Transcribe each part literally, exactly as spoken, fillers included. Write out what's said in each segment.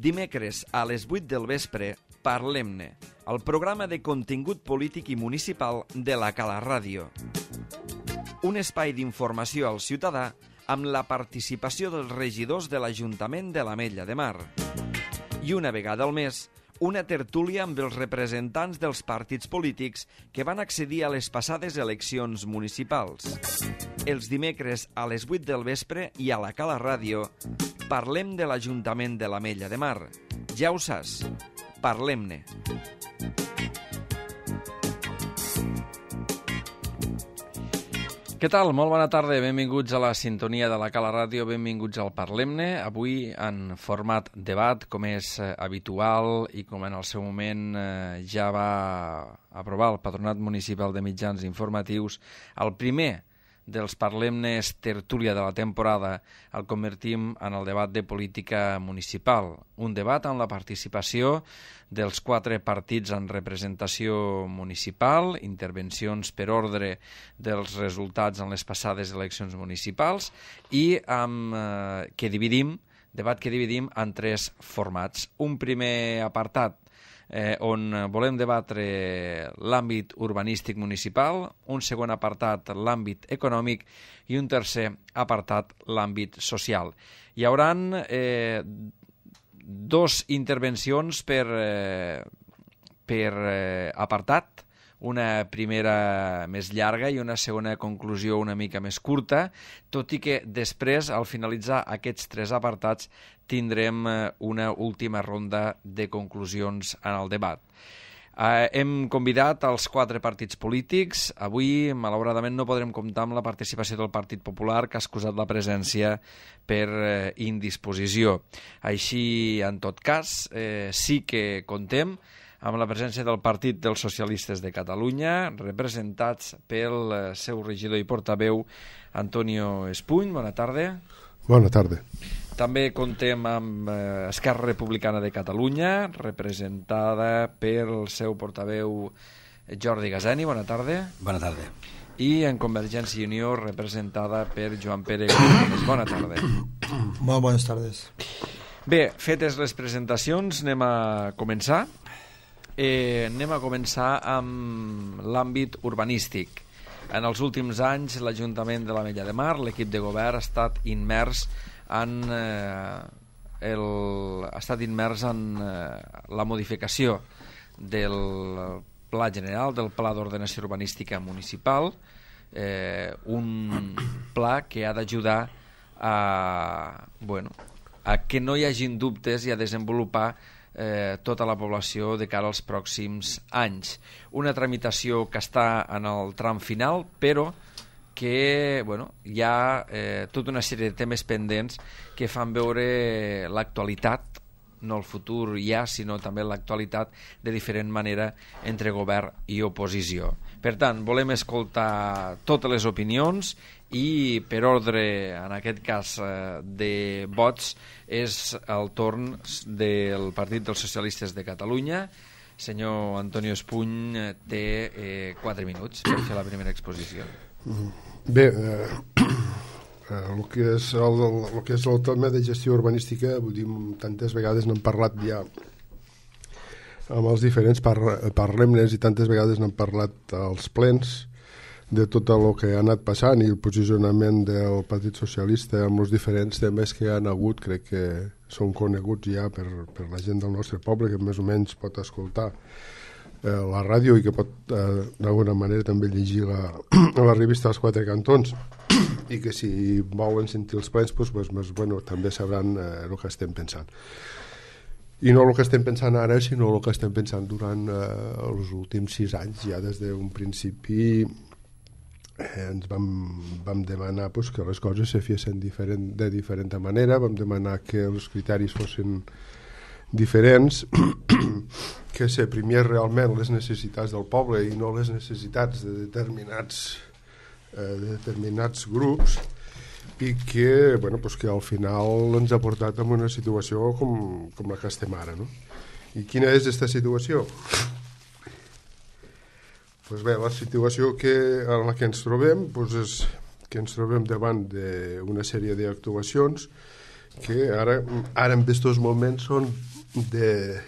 dimecres a les vuit del vespre, Parlem-ne, el programa de contingut polític i municipal de la Cala Ràdio. Un espai d'informació al ciutadà amb la participació dels regidors de l'Ajuntament de l'Ametlla de Mar. I una vegada al mes, una tertúlia amb els representants dels partits polítics que van accedir a les passades eleccions municipals. Els dimecres a les vuit del vespre i a la Cala Ràdio parlem de l'Ajuntament de l'Ametlla de Mar. Ja ho saps, parlem-ne. Què tal? Molt bona tarda, benvinguts a la sintonia de la Cala Ràdio, benvinguts al Parlem-ne, avui en format debat, com és habitual i com en el seu moment ja va aprovar el Patronat Municipal de Mitjans Informatius. El primer dels Parlem-nes tertúlia de la temporada el convertim en el debat de política municipal, un debat amb la participació dels quatre partits en representació municipal, intervencions per ordre dels resultats en les passades eleccions municipals i amb, eh, que dividim, debat que dividim en tres formats. Un primer apartat Eh, on volem debatre l'àmbit urbanístic municipal, un segon apartat l'àmbit econòmic i un tercer apartat l'àmbit social. Hi haurà eh, dos intervencions per, eh, per eh, apartat, una primera més llarga i una segona conclusió una mica més curta, tot i que després, al finalitzar aquests tres apartats, tindrem una última ronda de conclusions en el debat. Eh, hem convidat els quatre partits polítics. Avui, malauradament, no podrem comptar amb la participació del Partit Popular, que ha excusat la presència per eh, indisposició. Així, en tot cas, eh, sí que contem amb la presència del Partit dels Socialistes de Catalunya, representats pel seu regidor i portaveu Antonio Espuny. Bona tarda. Bona tarda. També contem amb eh, Esquerra Republicana de Catalunya, representada pel seu portaveu Jordi Gaseni. Bona tarda. Bona tarda. I en Convergència i Unió, representada per Joan Pere Gutiérrez. Bona tarda. Molt bones tardes. Bé, fetes les presentacions, anem a començar. Eh, anem a començar amb l'àmbit urbanístic. En els últims anys, l'Ajuntament de l'Ametlla de Mar, l'equip de govern, ha estat immers en, eh, el, ha estat immers en eh, la modificació del Pla General, del Pla d'Ordenació Urbanística Municipal, eh, un pla que ha d'ajudar a, bueno, a que no hi hagin dubtes i a desenvolupar Eh, tota la població de cara als pròxims anys. Una tramitació que està en el tram final, però que bueno, hi ha eh, tota una sèrie de temes pendents que fan veure l'actualitat, no el futur ja, sinó també l'actualitat de diferent manera entre govern i oposició. Per tant, volem escoltar totes les opinions i per ordre, en aquest cas de vots, és el torn del Partit dels Socialistes de Catalunya. Senyor Antonio Espuny té eh, quatre minuts per fer la primera exposició. Bé, eh, el que és el, el que és el tema de gestió urbanística, vull dir, tantes vegades n'hem parlat ja amb els diferents par parlem-nes i tantes vegades n'hem parlat als plens de tot el que ha anat passant i el posicionament del Partit Socialista amb els diferents temes que hi ha hagut. Crec que són coneguts ja per, per la gent del nostre poble, que més o menys pot escoltar eh, la ràdio i que pot eh, d'alguna manera també llegir la, la revista dels Quatre Cantons i que si volen sentir els plens pues, pues, pues, bueno, també sabran eh, el que estem pensant. I no el que estem pensant ara, sinó el que estem pensant durant eh, els últims sis anys, ja des d'un principi eh, ens vam, vam demanar pues, que les coses se fessin diferent, de diferent manera, vam demanar que els criteris fossin diferents, que s'aprimés realment les necessitats del poble i no les necessitats de determinats, eh, de determinats grups, i que, bueno, pues que al final ens ha portat a una situació com, com la que estem ara, no? I quina és aquesta situació? Pues bé, la situació que, en la que ens trobem pues és que ens trobem davant d'una sèrie d'actuacions que ara, ara en aquests moments són de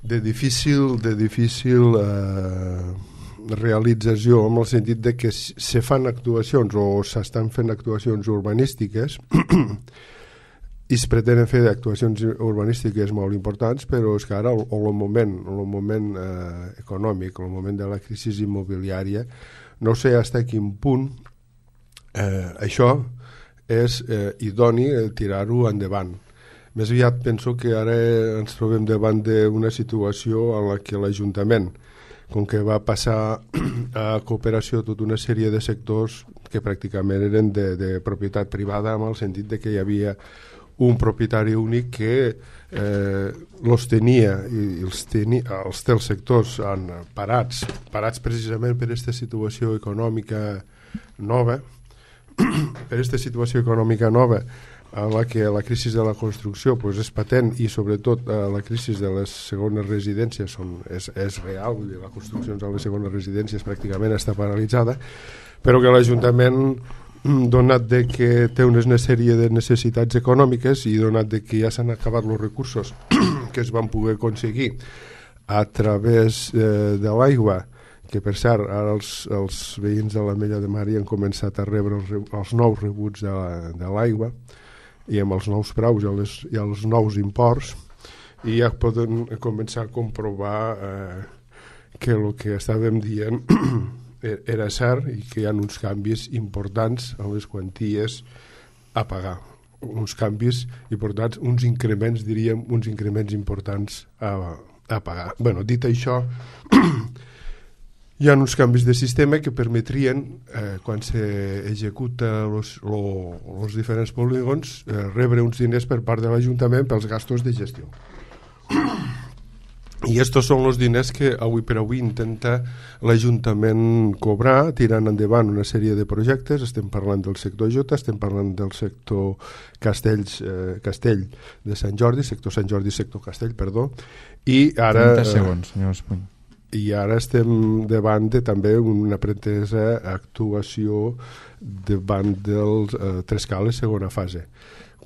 de difícil de difícil eh, realització, en el sentit de que se fan actuacions o s'estan fent actuacions urbanístiques i es pretenen fer actuacions urbanístiques molt importants, però és que ara el, el moment, el moment eh, econòmic, el moment de la crisi immobiliària, no sé fins a quin punt eh, això és eh, idoni tirar-ho endavant. Més aviat penso que ara ens trobem davant d'una situació en la que l'Ajuntament, com que va passar a cooperació tota una sèrie de sectors que pràcticament eren de, de propietat privada, en el sentit de que hi havia un propietari únic que eh, los tenia i els, tenia, els té els sectors en parats, parats precisament per aquesta situació econòmica nova, per aquesta situació econòmica nova en la que la crisi de la construcció pues, és patent i sobretot eh, la crisi de les segones residències són, és, és real, vull dir, la construcció de les segones residències pràcticament està paralitzada, però que l'Ajuntament, donat de que té una sèrie de necessitats econòmiques i donat de que ja s'han acabat els recursos que es van poder aconseguir a través eh, de l'aigua, que per cert ara els, els veïns de l'Ametlla de Mar han començat a rebre els, els nous rebuts de l'aigua i amb els nous preus i els, i els nous imports, i ja poden començar a comprovar eh, que el que estàvem dient era cert i que hi ha uns canvis importants en les quanties a pagar, uns canvis importants, uns increments, diríem, uns increments importants a, a pagar. Bueno, dit això, hi ha uns canvis de sistema que permetrien, eh, quan s'executa els diferents polígons, eh, rebre uns diners per part de l'Ajuntament pels gastos de gestió. I estos són els diners que avui per avui intenta l'Ajuntament cobrar, tirant endavant una sèrie de projectes. Estem parlant del sector Jota, estem parlant del sector Castells, eh, Castell de Sant Jordi, sector Sant Jordi, sector Castell, perdó. I ara... trenta segons, senyor Espuny. I ara estem davant de també una pretesa actuació davant dels eh, Trescales segona fase,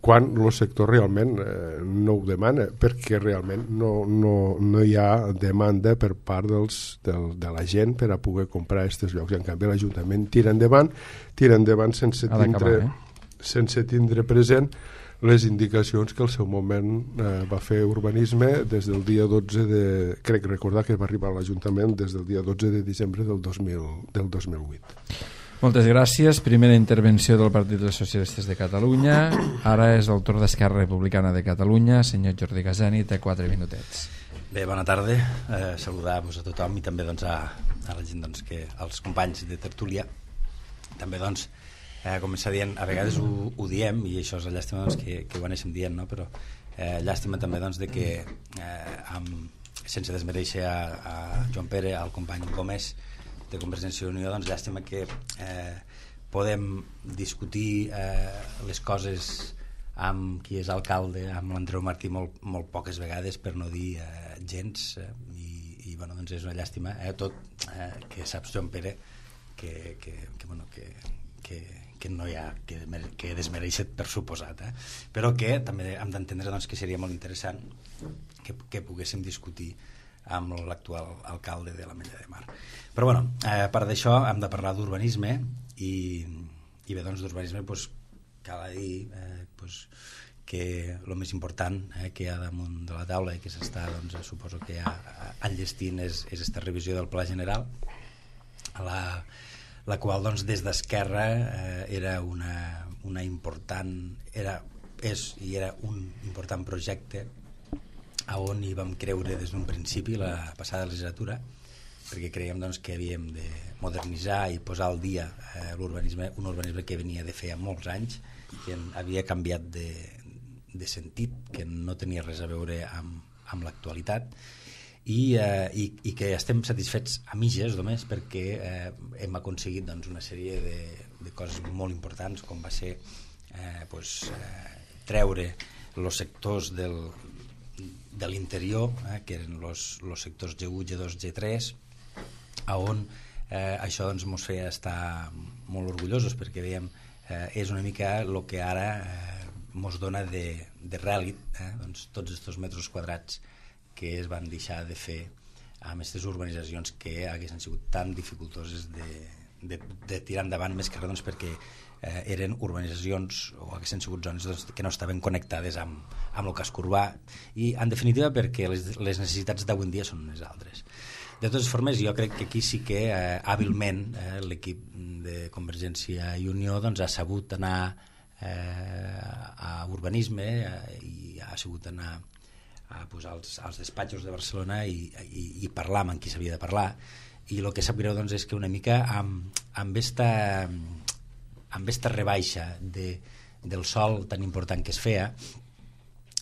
quan el sector realment eh, no ho demana, perquè realment no, no, no hi ha demanda per part dels, del, de la gent per a poder comprar aquests llocs. En canvi l'Ajuntament tira endavant, tira endavant sense tindre, eh? sense tindre present les indicacions que al seu moment eh, va fer urbanisme des del dia dotze de... crec recordar que va arribar a l'Ajuntament des del dia dotze de desembre del dos mil, del dos mil vuit. Moltes gràcies. Primera intervenció del Partit dels Socialistes de Catalunya. Ara és el torn d'Esquerra Republicana de Catalunya. Senyor Jordi Gasani, té quatre minutets. Bé, bona tarda. Eh, saludar-vos a tothom i també doncs, a, a la gent, doncs, que, als companys de tertúlia. També, doncs, eh, començar dient, a vegades ho, ho diem, i això és la llàstima doncs, que, que ho anéssim dient, no? Però eh, llàstima també doncs, de que, eh, amb, sense desmereixer a, a Joan Pere, al company Gómez, de Convergència i Unió, doncs llàstima que eh, podem discutir eh, les coses amb qui és alcalde, amb l'Andreu Martí molt, molt poques vegades, per no dir eh, gens, eh, i, i bueno, doncs és una llàstima, eh, tot eh, que saps, Joan Pere, que, que, que, bueno, que, que, que no hi ha que, que desmereixet per suposat, eh? Però que també hem d'entendre doncs, que seria molt interessant que, que poguéssim discutir amb l'actual alcalde de l'Ametlla de Mar. Però bueno, eh, a part d'això hem de parlar d'urbanisme i, i bé, doncs d'urbanisme doncs, cal dir eh, doncs, que el més important eh, que hi ha damunt de la taula i que s'està, doncs, suposo que ja enllestint és, és esta revisió del Pla General, la, la qual doncs, des d'Esquerra eh, era una, una important era, és i era un important projecte a on hi vam creure des d'un principi la passada legislatura, perquè creiem doncs, que havíem de modernitzar i posar al dia eh, l'urbanisme, un urbanisme que venia de feia molts anys, que havia canviat de, de sentit, que no tenia res a veure amb, amb l'actualitat, i, eh, i, i que estem satisfets a mitges només perquè eh, hem aconseguit doncs, una sèrie de, de coses molt importants, com va ser eh, pues, eh, treure els sectors del de l'interior, eh, que eren els sectors G u, G dos, G tres, on eh, això ens doncs, feia estar molt orgullosos, perquè veiem eh, és una mica el que ara eh, mos dona de, de rèlit, eh, doncs, tots aquests metres quadrats que es van deixar de fer amb aquestes urbanitzacions que haguessin sigut tan dificultoses de, de, de tirar endavant, més que res doncs, perquè eh, eren urbanitzacions o haguessin sigut zones doncs, que no estaven connectades amb, amb el casc urbà i en definitiva perquè les, les necessitats d'avui en dia són unes altres. De totes formes, jo crec que aquí sí que eh, hàbilment eh, l'equip de Convergència i Unió doncs, ha sabut anar eh, a urbanisme eh, i ha sabut anar a posar als, als despatxos de Barcelona i, i, i parlar amb qui s'havia de parlar, i el que sap greu doncs, és que una mica amb, amb esta amb esta rebaixa de, del sòl tan important que es feia,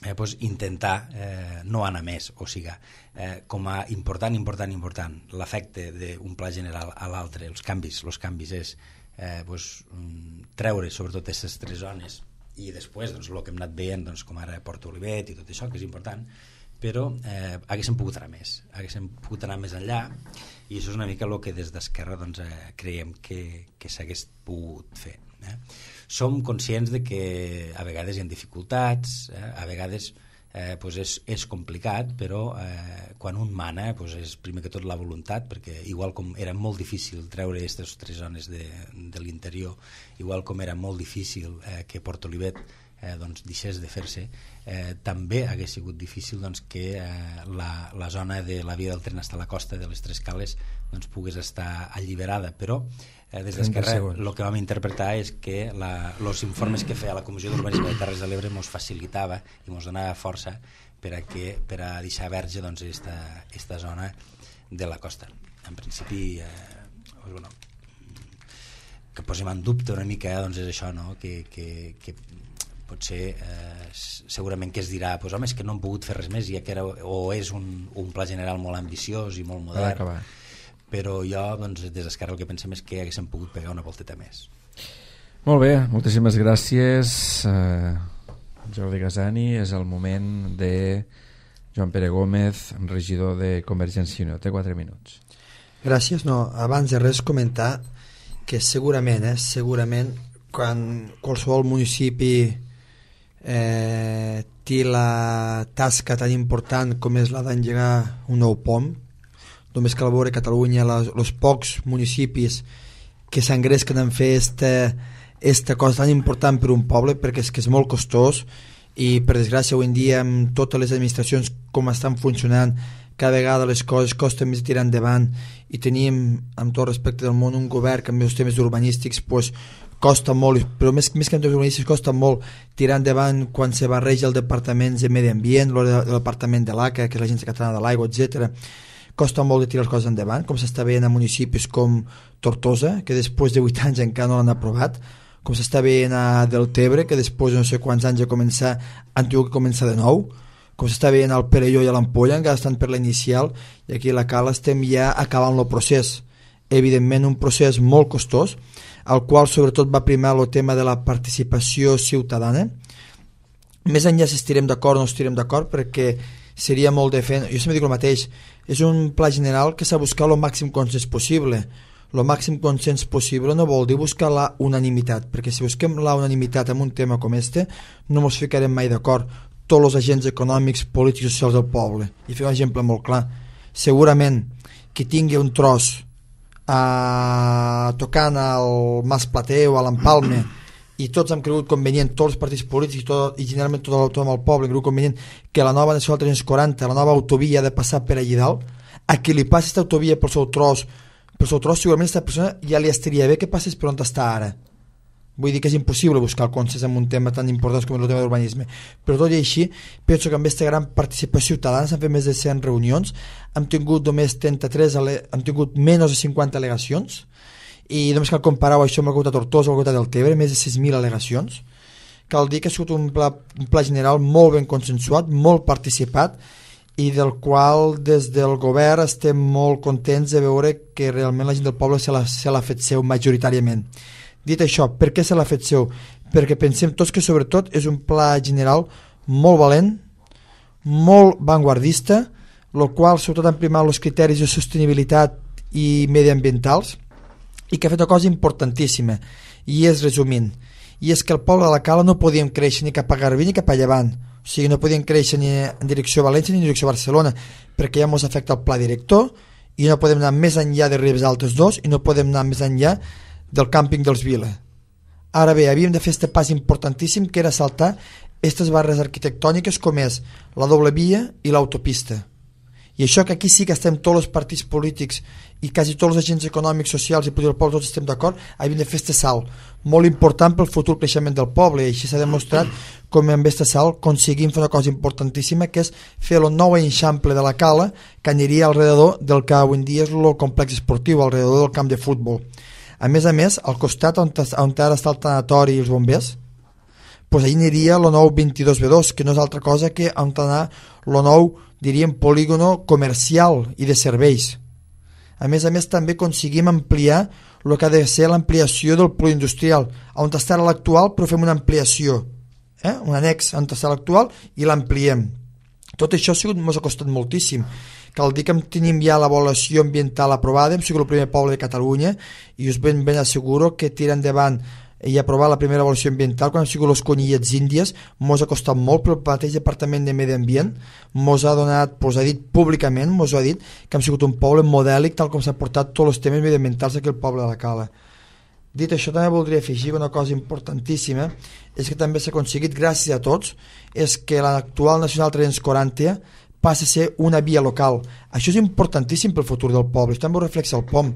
eh, pues intentar eh, no anar més, o sigui, eh, com a important, important, important l'efecte d'un pla general a l'altre, els canvis, els canvis és eh, pues, treure sobretot aquestes tres zones i després doncs, el que hem anat veient doncs, com ara Port Olivet i tot això, que és important, però eh, haguéssim pogut anar més, haguéssim pogut anar més enllà, i això és una mica el que des d'Esquerra doncs, eh, creiem que, que s'hagués pogut fer. Eh? Som conscients de que a vegades hi ha dificultats, eh? a vegades eh, pues és, és complicat, però eh, quan un mana pues és primer que tot la voluntat, perquè igual com era molt difícil treure aquestes tres zones de, de l'interior, igual com era molt difícil eh, que Port Olivet eh, doncs, deixés de fer-se, eh, també hagués sigut difícil doncs, que eh, la, la zona de la via del tren fins a la costa de les Tres Cales doncs, pogués estar alliberada, però eh, des d'Esquerra el que vam interpretar és que els informes que feia la Comissió d'Urbanisme de Terres de l'Ebre ens facilitava i ens donava força per a, que, per a deixar verge doncs, esta, esta zona de la costa. En principi eh, bueno, que posem en dubte una mica doncs, és això, no? que, que, que potser eh, segurament que es dirà pues, home, és que no hem pogut fer res més, ja que era, o és un, un pla general molt ambiciós i molt modern, però jo doncs, des d'Esquerra el que pensem és que haguéssim pogut pegar una volteta més. Molt bé, moltíssimes gràcies eh, Jordi Gasani. És el moment de Joan Pere Gómez, regidor de Convergència i Unió. Té quatre minuts. Gràcies. No, abans de res comentar que segurament, eh, segurament quan qualsevol municipi eh, té la tasca tan important com és la d'engegar un nou pont, només cal veure Catalunya, els pocs municipis que s'engresquen en fer esta, esta cosa tan important per un poble, perquè és que és molt costós i per desgràcia avui en dia amb totes les administracions com estan funcionant, cada vegada les coses costen més tirar endavant i tenim, amb tot respecte del món, un govern que amb els temes urbanístics pues, costa molt, però més, més que en temes urbanístics costa molt tirar endavant quan se barreja el departament de Medi Ambient, el departament de l'A C A, que és l'Agència Catalana de l'Aigua, etcètera. Costa molt de tirar les coses endavant, com s'està veient a municipis com Tortosa, que després de vuit anys encara no l'han aprovat, com s'està veient a Deltebre, que després de no sé quants anys de començar han tingut que començar de nou, com s'està veient al Perelló i a l'Ampolla, encara estan per la inicial, i aquí a la Cala estem ja acabant el procés. Evidentment un procés molt costós, al qual sobretot va primar el tema de la participació ciutadana. Més enllà si estirem d'acord o no estirem d'acord, perquè seria molt de fer, jo sempre dic el mateix, és un pla general que s'ha de buscar el màxim consens possible. El màxim consens possible no vol dir buscar la unanimitat, perquè si busquem la unanimitat en un tema com este no ens ficarem mai d'acord tots els agents econòmics, polítics i socials del poble. I fer un exemple molt clar, segurament qui tingui un tros a... tocant al Mas Plater o a l'Empalme i tots han cregut convenient, tots els partits polítics i, tot, i generalment tot el, tot el poble han cregut convenient que la nova nacional tres cents quaranta, la nova autovia ha de passar per allí dalt, a qui li passi aquesta autovia pel seu tros, pel seu tros segurament aquesta persona ja li estaria bé que passés per on està ara. Vull dir que és impossible buscar el consens en un tema tan important com el tema d'urbanisme, però tot i així penso que amb aquesta gran participació ciutadana s'han fet més de cent reunions, hem tingut només trenta-tres, hem tingut menys de cinquanta al·legacions, i només cal comparar això amb el Comunitat de Tortosa o el Comunitat del Tebre, més de sis mil al·legacions. Cal dir que ha sigut un pla, un pla general molt ben consensuat, molt participat, i del qual des del govern estem molt contents de veure que realment la gent del poble se l'ha fet seu majoritàriament. Dit això, per què se l'ha fet seu? Perquè pensem tots que sobretot és un pla general molt valent, molt vanguardista, el qual sobretot han primat els criteris de sostenibilitat i mediambientals, i que ha fet una cosa importantíssima, i és resumint, i és que el poble de la Cala no podíem créixer ni cap a Garbí ni cap a Llevant, o sigui, no podíem créixer ni en direcció a València ni en direcció a Barcelona, perquè ja ens afecta el pla director i no podem anar més enllà de Ribes Altes dos i no podem anar més enllà del càmping dels Vila. Ara bé, havíem de fer este pas importantíssim que era saltar aquestes barres arquitectòniques com és la doble via i l'autopista. I això que aquí sí que estem tots els partits polítics i quasi tots els agents econòmics, socials i polítics del poble, tots estem d'acord, havíem de fer este salt molt important pel futur creixement del poble, i així s'ha demostrat com amb este salt aconseguim fer una cosa importantíssima, que és fer el nou eixample de la Cala que aniria alrededor del que avui en dia és el complex esportiu, alrededor del camp de futbol. A més a més, al costat on, on ara està el tanatori i els bombers, pues ahí aniria el nou vint-i-dos be dos, que no és altra cosa que on anar el nou, diríem, polígono comercial i de serveis. A més a més, també aconseguim ampliar el que ha de ser l'ampliació del polindustrial, on està l'actual, però fem una ampliació, eh? un annex on està l'actual i l'ampliem. Tot això ha sigut, ens ha costat moltíssim. Cal dir que tenim ja l'avaluació ambiental aprovada, hem sigut el primer poble de Catalunya i us ben, ben asseguro que tirar endavant i aprovar la primera avaluació ambiental quan han sigut les conyillets índies mos ha costat molt, però el mateix Departament de Medi Ambient mos ha donat, mos ha dit públicament, mos ha dit que hem sigut un poble modèlic tal com s'ha portat tots els temes mediambientals d'aquí al poble de la Cala. Dit això, també voldria afegir una cosa importantíssima, és que també s'ha aconseguit gràcies a tots, és que l'actual Nacional tres-cents quaranta passa a ser una via local. Això és importantíssim pel futur del poble, això també ho reflexa el P O M,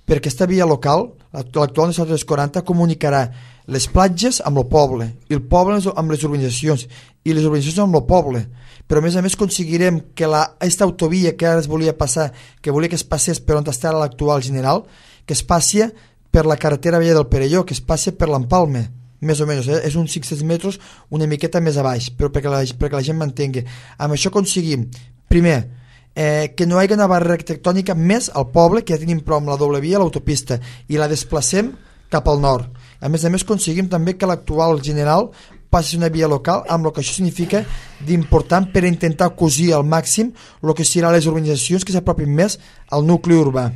perquè aquesta via local, l'actual Nacional tres-cents quaranta, comunicarà les platges amb el poble, i el poble amb les urbanitzacions, i les urbanitzacions amb el poble. Però a més a més aconseguirem que la, aquesta autovia que ara es volia passar, que volia que es passés per on està l'actual general, que es passi per la carretera vella del Perelló, que es passi per l'Empalme, més o menys, eh? És uns cinc-cents metres una miqueta més a baix, però perquè la, perquè la gent m'entengui. Amb això aconseguim, primer, eh, que no hi hagi una barrera arquitectònica més al poble, que ja tenim prou amb la doble via, l'autopista, i la desplacem cap al nord. A més a més aconseguim també que l'actual general passi una via local, amb el que això significa d'important per intentar cosir al màxim el que seran les urbanitzacions que s'apropin més al nucli urbà.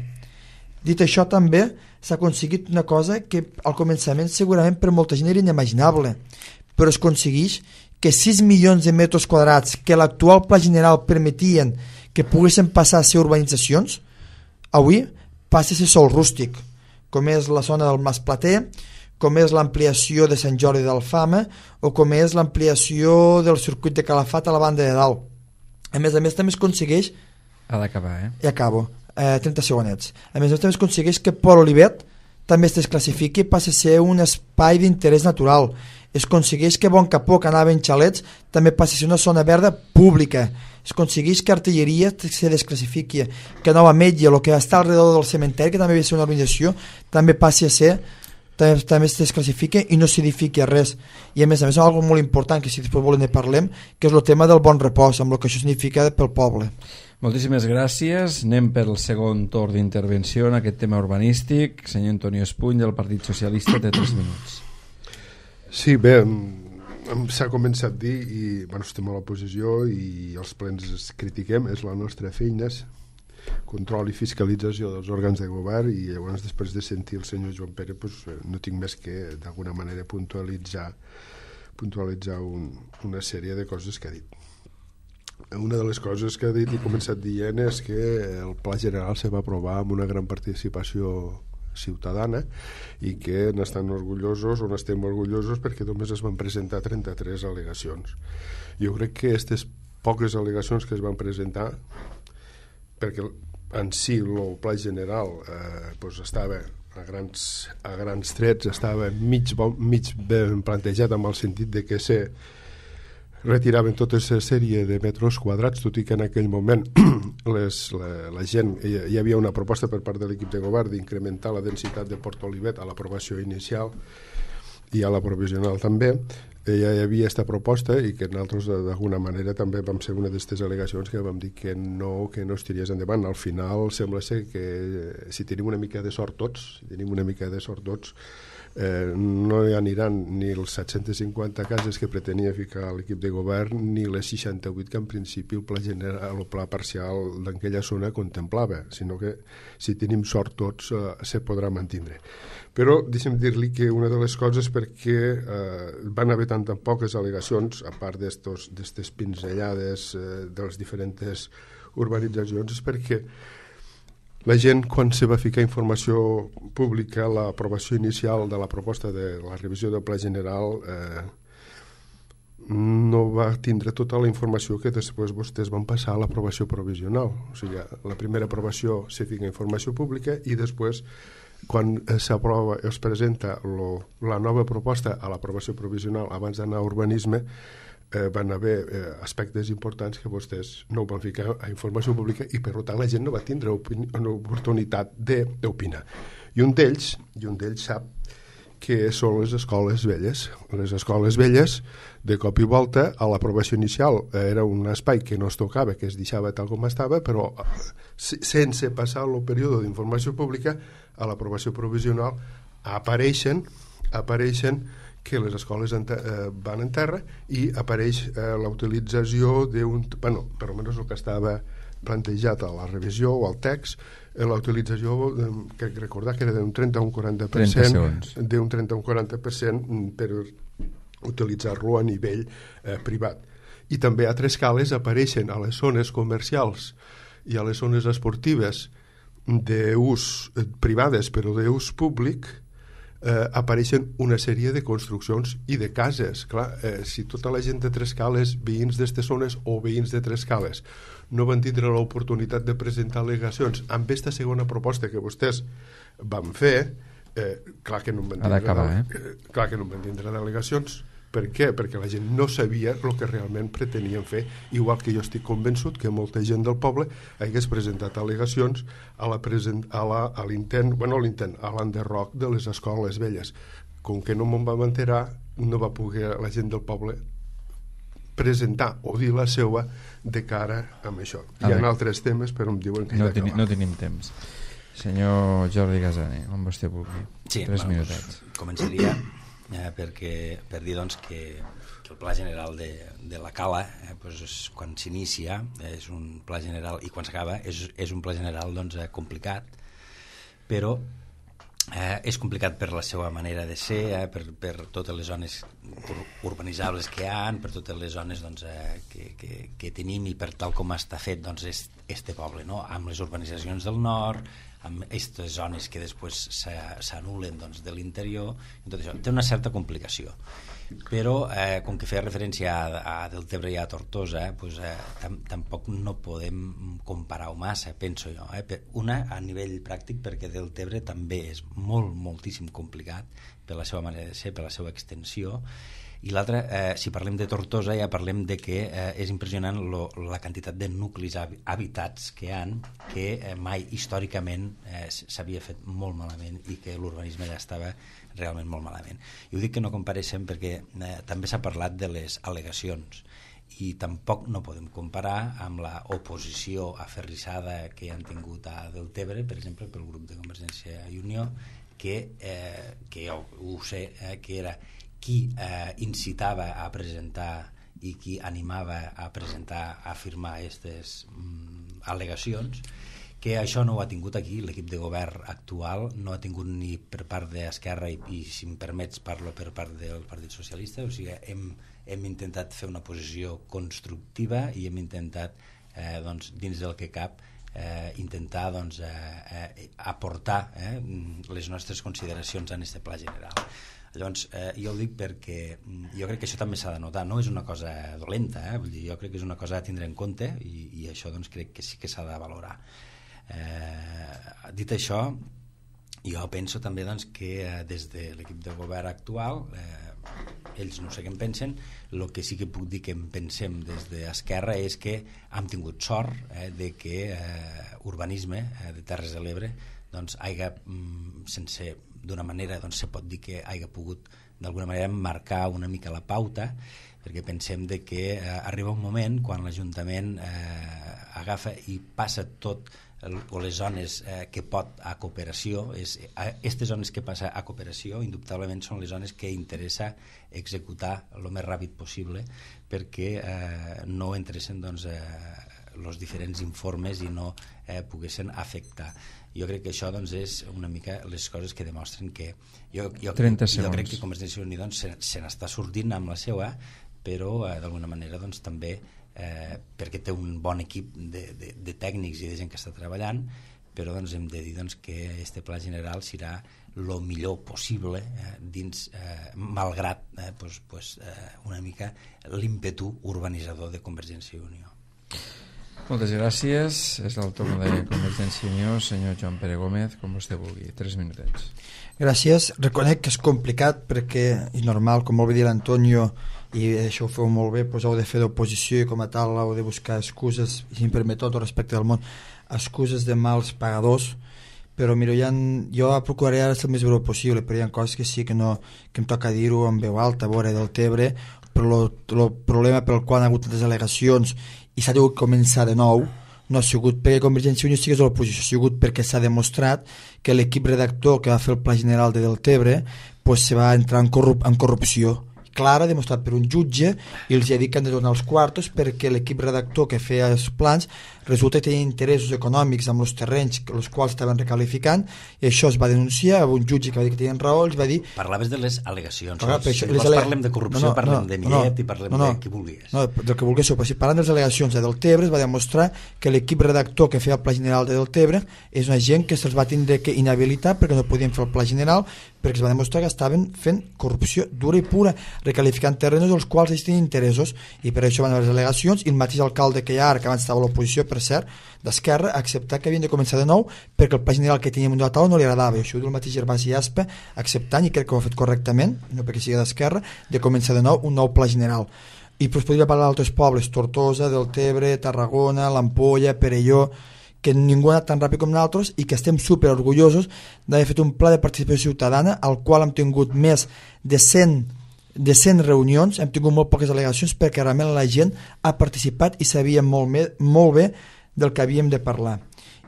Dit això, també s'ha aconseguit una cosa que al començament segurament per molta gent era inimaginable, però es aconsegueix que sis milions de metres quadrats que l'actual pla general permetien que poguessin passar a ser urbanitzacions, avui passa a ser sol rústic, com és la zona del Mas Plater, com és l'ampliació de Sant Jordi d'Alfama o com és l'ampliació del circuit de Calafat a la banda de dalt. A més a més també es aconsegueix... Ha d'acabar, eh? I acabo. Eh, trenta segonets. A més a més també es aconsegueix que Port Olivet també es desclassifiqui i passi a ser un espai d'interès natural. Es aconsegueix que Bon Capó, que anava en xalets, també passi a ser una zona verda pública. Es aconsegueix que Artilleria se desclassifiqui, que Nova Metge, el que està alrededor del cementeri, que també havia de ser una organització, també passi a ser també, també es desclassifica i no s'edifiqui a res. I a més a més, una cosa molt important, que si després volem ne parlem, que és el tema del bon repòs, amb el que això significa pel poble. Moltíssimes gràcies. Anem pel segon torn d'intervenció en aquest tema urbanístic. Senyor Antonio Espuny, del Partit Socialista, té tres minuts. Sí, bé, s'ha començat a dir, i bueno, estem a l'oposició i els plens es critiquem, és la nostra feina, control i fiscalització dels òrgans de govern, i llavors després de sentir el senyor Joan Pere pues, no tinc més que d'alguna manera puntualitzar puntualitzar un, una sèrie de coses que ha dit. Una de les coses que ha dit i començat dient és que el Pla General se va aprovar amb una gran participació ciutadana i que n'estan orgullosos o n'estem orgullosos perquè només es van presentar trenta-tres al·legacions. Jo crec que aquestes poques al·legacions que es van presentar, perquè en si el Pla General eh, doncs estava a grans, a grans trets, estava mig, mig ben plantejat amb el sentit de que se retiraven tota aquesta sèrie de metres quadrats, tot i que en aquell moment les, la, la gent, hi, hi havia una proposta per part de l'equip de govern d'incrementar la densitat de Port Olivet a l'aprovació inicial i a la provisional també. Ja hi havia aquesta proposta i que nosaltres d'alguna manera també vam ser una d'aquestes al·legacions que vam dir que no, que no es tiriés endavant. Al final sembla ser que si tenim una mica de sort tots, si tenim una mica de sort tots, eh, no hi aniran ni els set-centes cinquanta cases que pretenia ficar l'equip de govern ni les seixanta-vuit que en principi el pla general, el pla parcial d'aquella zona contemplava, sinó que si tenim sort tots eh, se podrà mantindre. Però deixem dir-li que una de les coses perquè eh, van haver tan, tan poques al·legacions, a part d'aquestes pinzellades eh, de les diferents urbanitzacions, és perquè la gent, quan se va ficar informació pública a l'aprovació inicial de la proposta de la revisió del Pla General, eh, no va tindre tota la informació que després vostès van passar a l'aprovació provisional. O sigui, la primera aprovació se fica informació pública i després, quan s'aprova, es presenta lo, la nova proposta a l'aprovació provisional abans d'anar a urbanisme, Eh, van haver eh, aspectes importants que vostès no ho van ficar a informació pública i per tant la gent no va tindre una oportunitat d'opinar. I un d'ells i un d'ells sap que són les escoles velles. Les escoles velles, de cop i volta, a l'aprovació inicial era un espai que no es tocava, que es deixava tal com estava, però sense passar el període d'informació pública, a l'aprovació provisional apareixen apareixen que les escoles en eh, van en terra i apareix eh, la utilització d'un, bueno, per almenys el que estava plantejat a la revisió o al text, eh, la utilització, eh, crec recordar que era d'un trenta a un quaranta per cent, d'un trenta a un quaranta per cent per utilitzar-lo a nivell eh, privat. I també a tres escales apareixen a les zones comercials i a les zones esportives d'ús eh, privades però d'ús públic, Eh, apareixen una sèrie de construccions i de cases. Clar, eh, si tota la gent de Trescales, veïns d'estes zones o veïns de Trescales, no van tindre l'oportunitat de presentar al·legacions amb aquesta segona proposta que vostès van fer, eh, clar que no en van tindre, eh? clar que no en van tindre al·legacions. Per què? Perquè la gent no sabia el que realment pretenien fer, igual que jo estic convençut que molta gent del poble hagués presentat al·legacions a la present, a la, a l'intent, bueno, a l'intent, a l'enderroc de les escoles velles. Com que no me'n vam enterar, no va poder la gent del poble presentar o dir la seva de cara a això. Hi ha altres temes, però em diuen que no, ja ten, no tenim temps. Senyor Jordi Gasani, on vostè vulgui. Sí, Tres bueno, minutets. Pues, començaria eh, perquè, per dir doncs, que, que el pla general de, de la Cala, eh, pues, és, quan s'inicia és un pla general i quan s'acaba és, és un pla general doncs, eh, complicat, però eh, és complicat per la seva manera de ser, eh, per, per totes les zones ur urbanitzables que hi ha, per totes les zones doncs, eh, que, que, que tenim i per tal com està fet doncs, este poble, no? Amb les urbanitzacions del nord, amb aquestes zones que després s'anulen doncs, de l'interior, tot això té una certa complicació. Però eh, com que feia referència a, a Deltebre i a Tortosa, eh, pues, eh, tam tampoc no podem comparar-ho massa, penso jo. Eh? Una, a nivell pràctic, perquè Deltebre també és molt, moltíssim complicat per la seva manera de ser, per la seva extensió, i l'altra, eh, si parlem de Tortosa, ja parlem de que eh, és impressionant lo, la quantitat de nuclis habitats que hi ha, que eh, mai històricament eh, s'havia fet molt malament i que l'urbanisme ja estava realment molt malament. I ho dic que no compareixen perquè eh, també s'ha parlat de les al·legacions i tampoc no podem comparar amb la oposició aferrissada que han tingut a Deltebre, per exemple, pel grup de Convergència i Unió, que, eh, que jo ho sé, eh, que era qui eh, incitava a presentar i qui animava a presentar, a firmar aquestes mm, al·legacions, que això no ho ha tingut aquí, l'equip de govern actual no ha tingut ni per part d'Esquerra i, i si em permets parlo per part del Partit Socialista, o sigui, hem, hem intentat fer una posició constructiva i hem intentat, eh, doncs, dins del que cap, eh, intentar doncs, eh, eh, aportar eh, les nostres consideracions en aquest pla general. Llavors, eh, jo ho dic perquè jo crec que això també s'ha de notar, no és una cosa dolenta, eh? Vull dir, jo crec que és una cosa a tindre en compte i, i això doncs, crec que sí que s'ha de valorar. Eh, dit això, jo penso també doncs, que eh, des de l'equip de govern actual, eh, ells no sé què en pensen, el que sí que puc dir que en pensem des d'Esquerra és que hem tingut sort eh, de que eh, urbanisme eh, de Terres de l'Ebre doncs, haiga, mm, sense d'una manera, doncs se pot dir que hagi pogut d'alguna manera marcar una mica la pauta, perquè pensem de que eh, arriba un moment quan l'Ajuntament eh, agafa i passa tot o les zones eh, que pot a cooperació, és, aquestes zones que passa a cooperació indubtablement són les zones que interessa executar el més ràpid possible perquè eh, no entressin doncs, eh, els diferents informes i no eh, poguessin afectar. Jo crec que això doncs, és una mica les coses que demostren que jo, jo, jo crec que Convergència i Unió doncs, se, se n'està sortint amb la seva, però eh, d'alguna manera doncs, també Eh, perquè té un bon equip de, de, de tècnics i de gent que està treballant, però doncs, hem de dir doncs, que este pla general serà el millor possible eh, dins, eh, malgrat eh, pues, pues, eh, una mica l'ímpetu urbanitzador de Convergència i Unió. Moltes gràcies. És el torn de Convergència i Unió. Senyor Joan Pere Gómez, com vostè vulgui. Tres minutets. Gràcies. Reconec que és complicat perquè és normal, com molt bé dir l'Antonio, i això ho feu molt bé, doncs heu de fer d'oposició i com a tal heu de buscar excuses, i si em permet tot el respecte del món, excuses de mals pagadors, però mira, ha, jo procuraré ara ser el més breu possible, però hi ha coses que sí que, no, que em toca dir-ho en veu alta, a veure, del Tebre, però el problema pel qual han hagut les al·legacions i s'ha hagut començar de nou no ha sigut perquè Convergència i Unió estigués a l'oposició, ha sigut perquè s'ha demostrat que l'equip redactor que va fer el Pla General de Deltebre pues, se va entrar en, corrup en corrupció clara, demostrat per un jutge, i els ha dit que han de donar els quartos perquè l'equip redactor que feia els plans resulta que tenia interessos econòmics amb els terrenys els quals estaven recalificant, i això es va denunciar a un jutge que va dir que tenien raó, els va dir... Parlaves de les al·legacions, Clar, si això, vols ale... parlem de corrupció, no, no, parlem no, de Millet no, i parlem no, no, de qui vulguis. No, del que vulguis, però si parlant de les al·legacions de Deltebre es va demostrar que l'equip redactor que feia el Pla General de Deltebre és una gent que se'ls va tindre que inhabilitar perquè no podien fer el Pla General, perquè es va demostrar que estaven fent corrupció dura i pura, recalificant terrenys dels quals ells tenien interessos, i per això van haver les al·legacions, i el mateix alcalde que hi ha ara, que abans estava a l'oposició, per cert, d'Esquerra, ha acceptat que havien de començar de nou perquè el Pla General que teníem de la taula no li agradava, i això ho diu el mateix Gervasi Aspa, acceptant, i crec que ho ha fet correctament, no perquè sigui d'Esquerra, de començar de nou un nou Pla General. I pues, podria parlar d'altres pobles, Tortosa, Deltebre, Tarragona, l'Ampolla, Perelló, que ningú ha anat tan ràpid com nosaltres i que estem super orgullosos d'haver fet un pla de participació ciutadana al qual hem tingut més de cent de cent reunions, hem tingut molt poques al·legacions perquè realment la gent ha participat i sabia molt, me, molt bé del que havíem de parlar.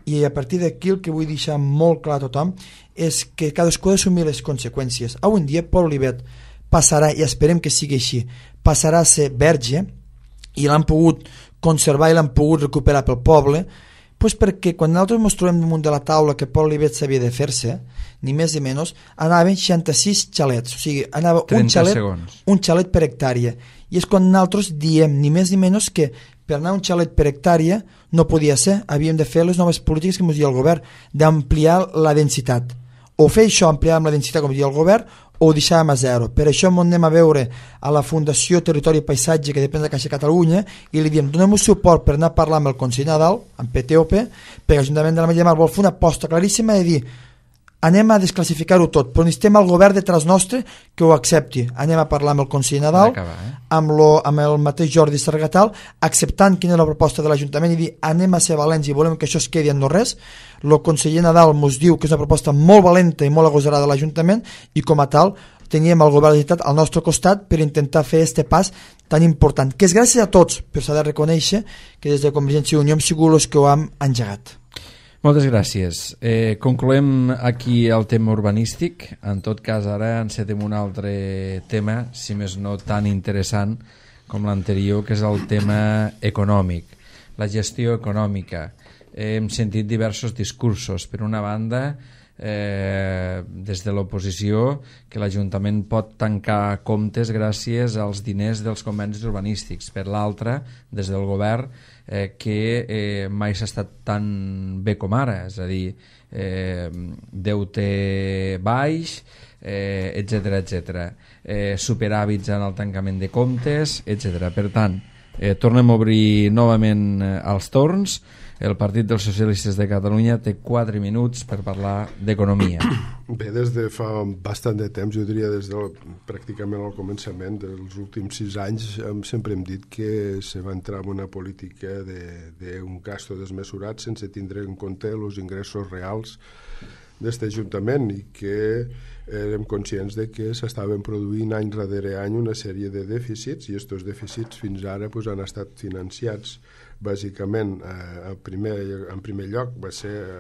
I a partir d'aquí el que vull deixar molt clar a tothom és que cadascú ha d'assumir les conseqüències. Avui en dia Pol Olivet passarà, i esperem que sigui així, passarà a ser verge i l'han pogut conservar i l'han pogut recuperar pel poble, pues perquè quan nosaltres ens trobem damunt de la taula que Pol Olivet s'havia de fer-se, ni més ni menys, anaven seixanta-sis xalets, o sigui, anava un xalet, un xalet per hectàrea, i és quan nosaltres diem ni més ni menys que per anar un xalet per hectàrea no podia ser, havíem de fer les noves polítiques que ens diu el govern, d'ampliar la densitat, o fer això, ampliar amb la densitat com diu el govern, o ho deixàvem a zero. Per això anem a veure a la Fundació Territori i Paisatge, que depèn de Caixa Catalunya, i li diem, donem un suport per anar a parlar amb el Consell Nadal, amb P T O P, perquè l'Ajuntament de la Metlla de Mar vol fer una aposta claríssima de dir, anem a desclassificar-ho tot, però necessitem el govern detrás nostre que ho accepti. Anem a parlar amb el Consell Nadal, acabar, eh? amb, lo, amb el mateix Jordi Sargatal, acceptant quina és la proposta de l'Ajuntament i dir, anem a ser valents i volem que això es quedi en no res. El conseller Nadal ens diu que és una proposta molt valenta i molt agosarada de l'Ajuntament, i com a tal teníem el govern de la Generalitat al nostre costat per intentar fer este pas tan important, que és gràcies a tots, però s'ha de reconèixer que des de Convergència i Unió hem sigut els que ho hem engegat. Moltes gràcies. Eh, concloem aquí el tema urbanístic. En tot cas, ara encetem un altre tema, si més no tan interessant com l'anterior, que és el tema econòmic, la gestió econòmica. Eh, hem sentit diversos discursos. Per una banda, eh, des de l'oposició, que l'Ajuntament pot tancar comptes gràcies als diners dels convenis urbanístics. Per l'altra, des del govern, eh, que eh, mai s'ha estat tan bé com ara, és a dir, eh, deute baix, eh, etcètera, etcètera, eh, superàvits en el tancament de comptes, etcètera. Per tant, eh, tornem a obrir novament eh, els torns. El Partit dels Socialistes de Catalunya té quatre minuts per parlar d'economia. Bé, des de fa bastant de temps, jo diria des del, pràcticament al començament dels últims sis anys, sempre hem dit que se va entrar en una política d'un gasto desmesurat sense tindre en compte els ingressos reals d'aquest Ajuntament i que érem conscients de que s'estaven produint any darrere any una sèrie de dèficits i aquests dèficits fins ara pues, han estat financiats bàsicament eh, en, primer, en primer lloc va ser eh,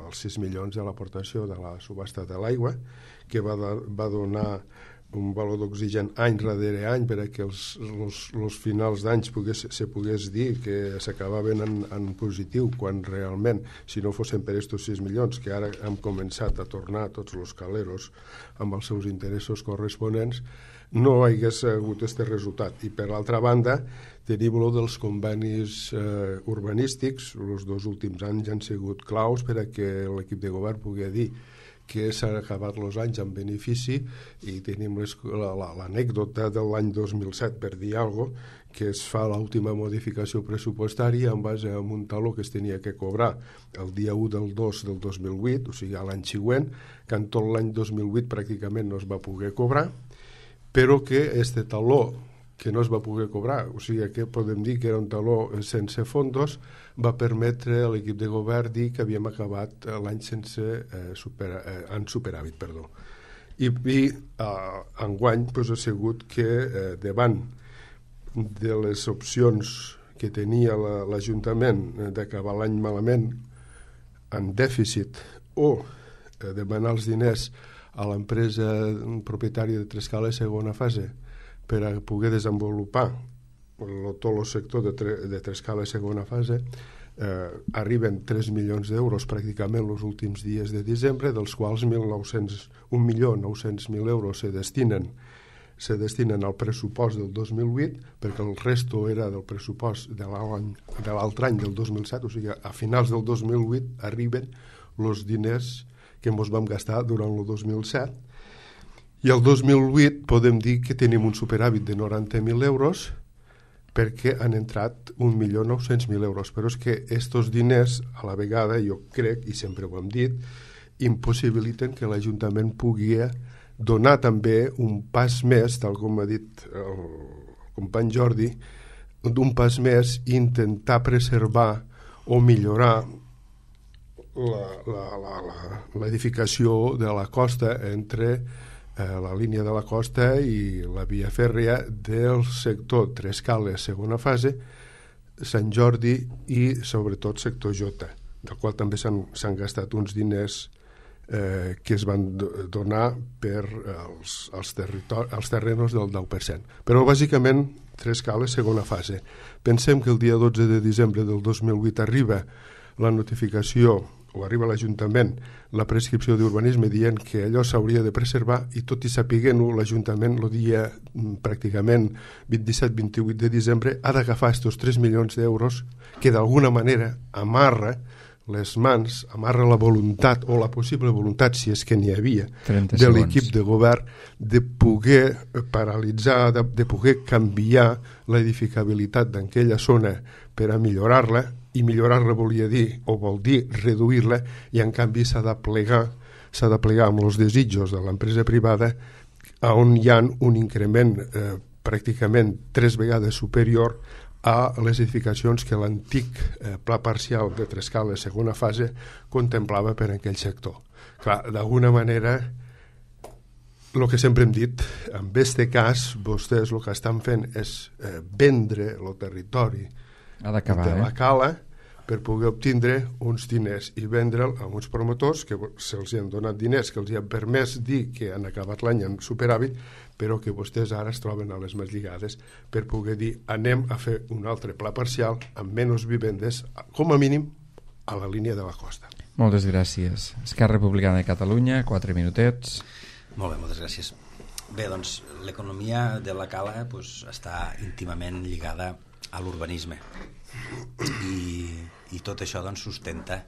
els sis milions de l'aportació de la subhasta de l'aigua que va, da, va donar un valor d'oxigen any darrere any per a que els, els, els finals d'anys pogués, se pogués dir que s'acabaven en, en positiu quan realment, si no fossin per aquests sis milions, que ara hem començat a tornar tots els caleros amb els seus interessos corresponents, no hagués hagut aquest resultat. I per l'altra banda, tenim lo dels convenis eh, urbanístics, els dos últims anys han sigut claus per a que l'equip de govern pugui dir que s'han acabat els anys amb benefici i tenim l'anècdota de l'any dos mil set, per dir alguna cosa, que es fa l'última modificació pressupostària en base a un taló que es tenia que cobrar el dia u del dos del dos mil vuit, o sigui, a l'any següent, que en tot l'any dos mil vuit pràcticament no es va poder cobrar, però que este taló que no es va poder cobrar, o sigui que podem dir que era un taló sense fondos, va permetre a l'equip de govern dir que havíem acabat l'any sense eh, supera, eh, en superàvit, perdó. I, i eh, enguany pues, ha sigut que eh, davant de les opcions que tenia l'Ajuntament la, d'acabar l'any malament en dèficit o eh, demanar els diners a l'empresa propietària de Trescala segona fase per a poder desenvolupar el, tot el sector de, tre, de Trescala segona fase, eh, arriben tres milions d'euros pràcticament els últims dies de desembre, dels quals un milió nou-cents mil euros se destinen, se destinen al pressupost del dos mil vuit, perquè el resto era del pressupost de l'altre any del dos mil set, o sigui, a finals del dos mil vuit arriben els diners que ens vam gastar durant el dos mil set, i el dos mil vuit podem dir que tenim un superàvit de noranta mil euros perquè han entrat un milió nou-cents mil euros. Però és que aquests diners, a la vegada, jo crec, i sempre ho hem dit, impossibiliten que l'Ajuntament pugui donar també un pas més, tal com ha dit el company Jordi, d'un pas més i intentar preservar o millorar l'edificació de la costa entre la línia de la costa i la via fèrria del sector Trescales segona fase, Sant Jordi i sobretot sector Jota, del qual també s'han gastat uns diners eh, que es van donar per als, als, als terrenos del deu per cent. Però bàsicament Trescales segona fase. Pensem que el dia dotze de desembre del dos mil vuit arriba la notificació o arriba a l'Ajuntament la prescripció d'urbanisme dient que allò s'hauria de preservar i tot i sapiguent-ho l'Ajuntament el dia pràcticament vint-i-set vint-i-vuit de desembre ha d'agafar aquests tres milions d'euros que d'alguna manera amarra les mans, amarra la voluntat o la possible voluntat, si és que n'hi havia, de l'equip de govern de poder paralitzar, de, de poder canviar l'edificabilitat d'aquella zona per a millorar-la, i millorar-la volia dir, o vol dir reduir-la, i en canvi s'ha de plegar, s'ha de plegar amb els desitjos de l'empresa privada on hi ha un increment eh, pràcticament tres vegades superior a les edificacions que l'antic eh, pla parcial de Trescales segona fase contemplava per a aquell sector. Clar, d'alguna manera, el que sempre hem dit, en aquest cas, vostès el que estan fent és eh, vendre el territori ha d'acabar, de la eh? cala per poder obtindre uns diners i vendre'l a uns promotors que se'ls han donat diners, que els han permès dir que han acabat l'any en superàvit, però que vostès ara es troben a les mans lligades per poder dir anem a fer un altre pla parcial amb menys vivendes, com a mínim a la línia de la costa. Moltes gràcies. Esquerra Republicana de Catalunya, quatre minutets. Molt bé, moltes gràcies. Bé, doncs l'economia de la cala pues, està íntimament lligada a l'urbanisme i, i tot això doncs, sustenta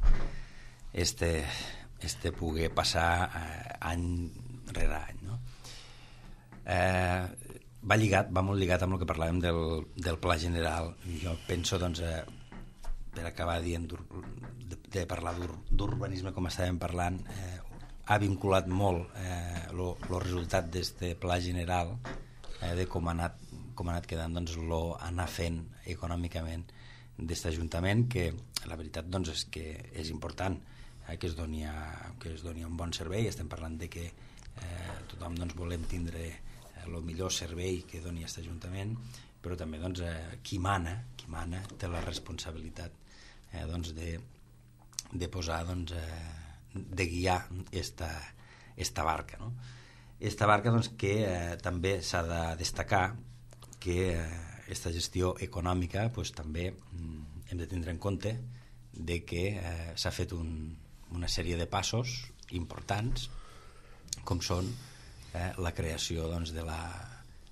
este, este poder passar eh, any rere any, no? Eh, va lligat, va molt lligat amb el que parlàvem del, del pla general. Jo penso, doncs, eh, per acabar dient de, de parlar d'urbanisme com estàvem parlant, eh, ha vinculat molt eh, lo, lo resultat d'este pla general eh, de com ha anat com ha anat quedant, doncs, lo anar fent econòmicament d'aquest Ajuntament, que la veritat doncs, és que és important. eh, que, es doni a, que es doni un bon servei. Estem parlant de que eh, tothom doncs, volem tindre el eh, millor servei que doni aquest Ajuntament, però també doncs, eh, qui mana, qui mana té la responsabilitat eh, doncs, de, de posar, doncs, eh, de guiar esta, esta barca, no? Esta barca doncs, que eh, també s'ha de destacar que aquesta eh, gestió econòmica pues, també mm, hem de tindre en compte de que eh, s'ha fet un, una sèrie de passos importants, com són eh, la creació doncs, de la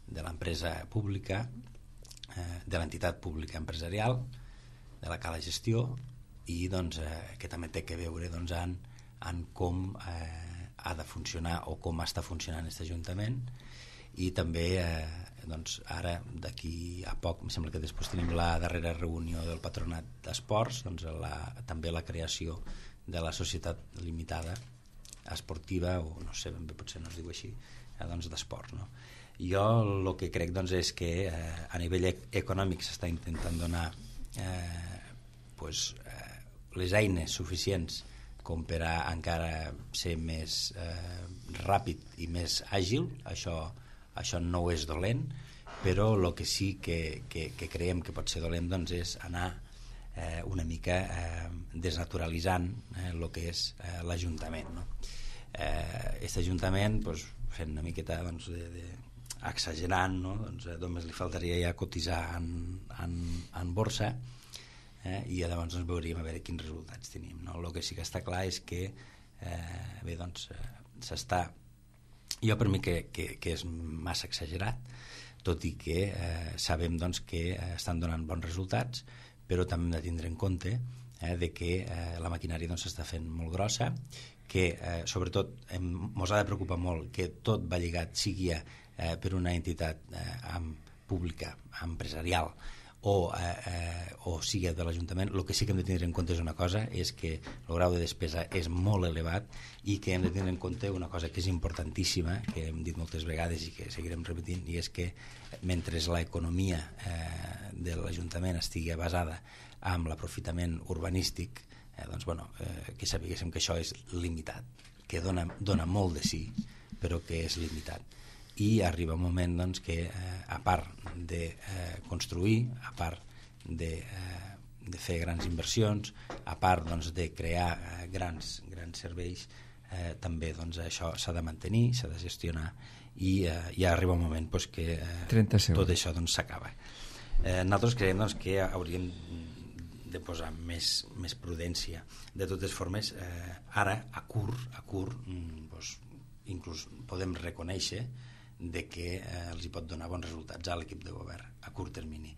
de l'empresa pública, eh, de l'entitat pública empresarial, de la Cala Gestió, i doncs, eh, que també té que veure doncs, en, en com eh, ha de funcionar o com està funcionant aquest Ajuntament, i també eh, doncs, ara d'aquí a poc em sembla que després tenim la darrera reunió del Patronat d'Esports, doncs, la, també la creació de la societat limitada esportiva, o no sé ben bé, potser no es diu així, eh, doncs d'esports, no? Jo el que crec doncs, és que eh, a nivell econòmic s'està intentant donar eh, pues, eh, les eines suficients com per a encara ser més eh, ràpid i més àgil. Això, això no és dolent, però el que sí que, que, que creiem que pot ser dolent doncs, és anar eh, una mica eh, desnaturalitzant eh, el que és eh, l'Ajuntament, no? Eh, aquest Ajuntament doncs, fent una miqueta doncs, de, de exagerant, no? Doncs, eh, només li faltaria ja cotitzar en, en, en borsa, eh? I llavors doncs, veuríem a veure quins resultats tenim, no? El que sí que està clar és que eh, bé, doncs, eh, s'està, jo per mi que, que, que és massa exagerat, tot i que eh, sabem doncs, que eh, estan donant bons resultats, però també hem de tindre en compte eh, de que eh, la maquinària doncs, s'està fent molt grossa, que eh, sobretot ens ha de preocupar molt que tot va lligat, sigui eh, per una entitat eh, amb, pública, empresarial, o, eh, eh, o sigui de l'Ajuntament. El que sí que hem de tenir en compte és una cosa, és que el grau de despesa és molt elevat, i que hem de tenir en compte una cosa que és importantíssima, que hem dit moltes vegades i que seguirem repetint, i és que mentre l'economia eh, de l'Ajuntament estigui basada en l'aprofitament urbanístic, eh, doncs, bueno, eh, que sapiguéssim que això és limitat, que dona, dona molt de sí, però que és limitat. I arriba un moment doncs, que eh, a part de eh, construir, a part de, eh, de fer grans inversions, a part doncs, de crear eh, grans, grans serveis, eh, també doncs, això s'ha de mantenir, s'ha de gestionar, i eh, ja arriba un moment doncs, que eh, tot això doncs, s'acaba. Eh, nosaltres creiem doncs, que hauríem de posar més, més prudència. De totes formes, eh, ara, a curt, a curt doncs, inclús podem reconèixer de que eh, els hi pot donar bons resultats a l'equip de govern a curt termini.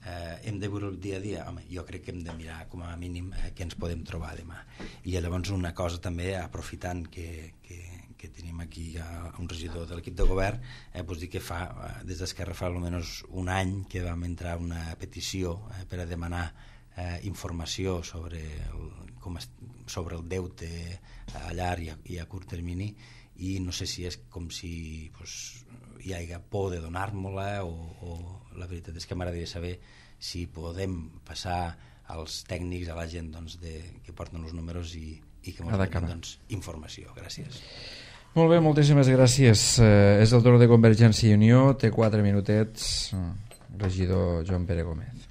Eh, hem de veure el dia a dia? Home, jo crec que hem de mirar com a mínim eh, què ens podem trobar demà. I llavors una cosa també, aprofitant que, que, que tenim aquí ja un regidor de l'equip de govern, eh, pues dir que fa, eh, des d'Esquerra fa almenys un any que vam entrar una petició eh, per a demanar eh, informació sobre el, com es, sobre el deute a llarg i a, i a curt termini, i no sé si és com si pues, hi hagi por de donar-me-la, o, o la veritat és que m'agradaria saber si podem passar als tècnics, a la gent doncs, de, que porten els números, i, i que ens donin doncs, informació. Gràcies. Molt bé, moltíssimes gràcies. Eh, és el torn de Convergència i Unió, té quatre minutets, regidor Joan Pere Gómez.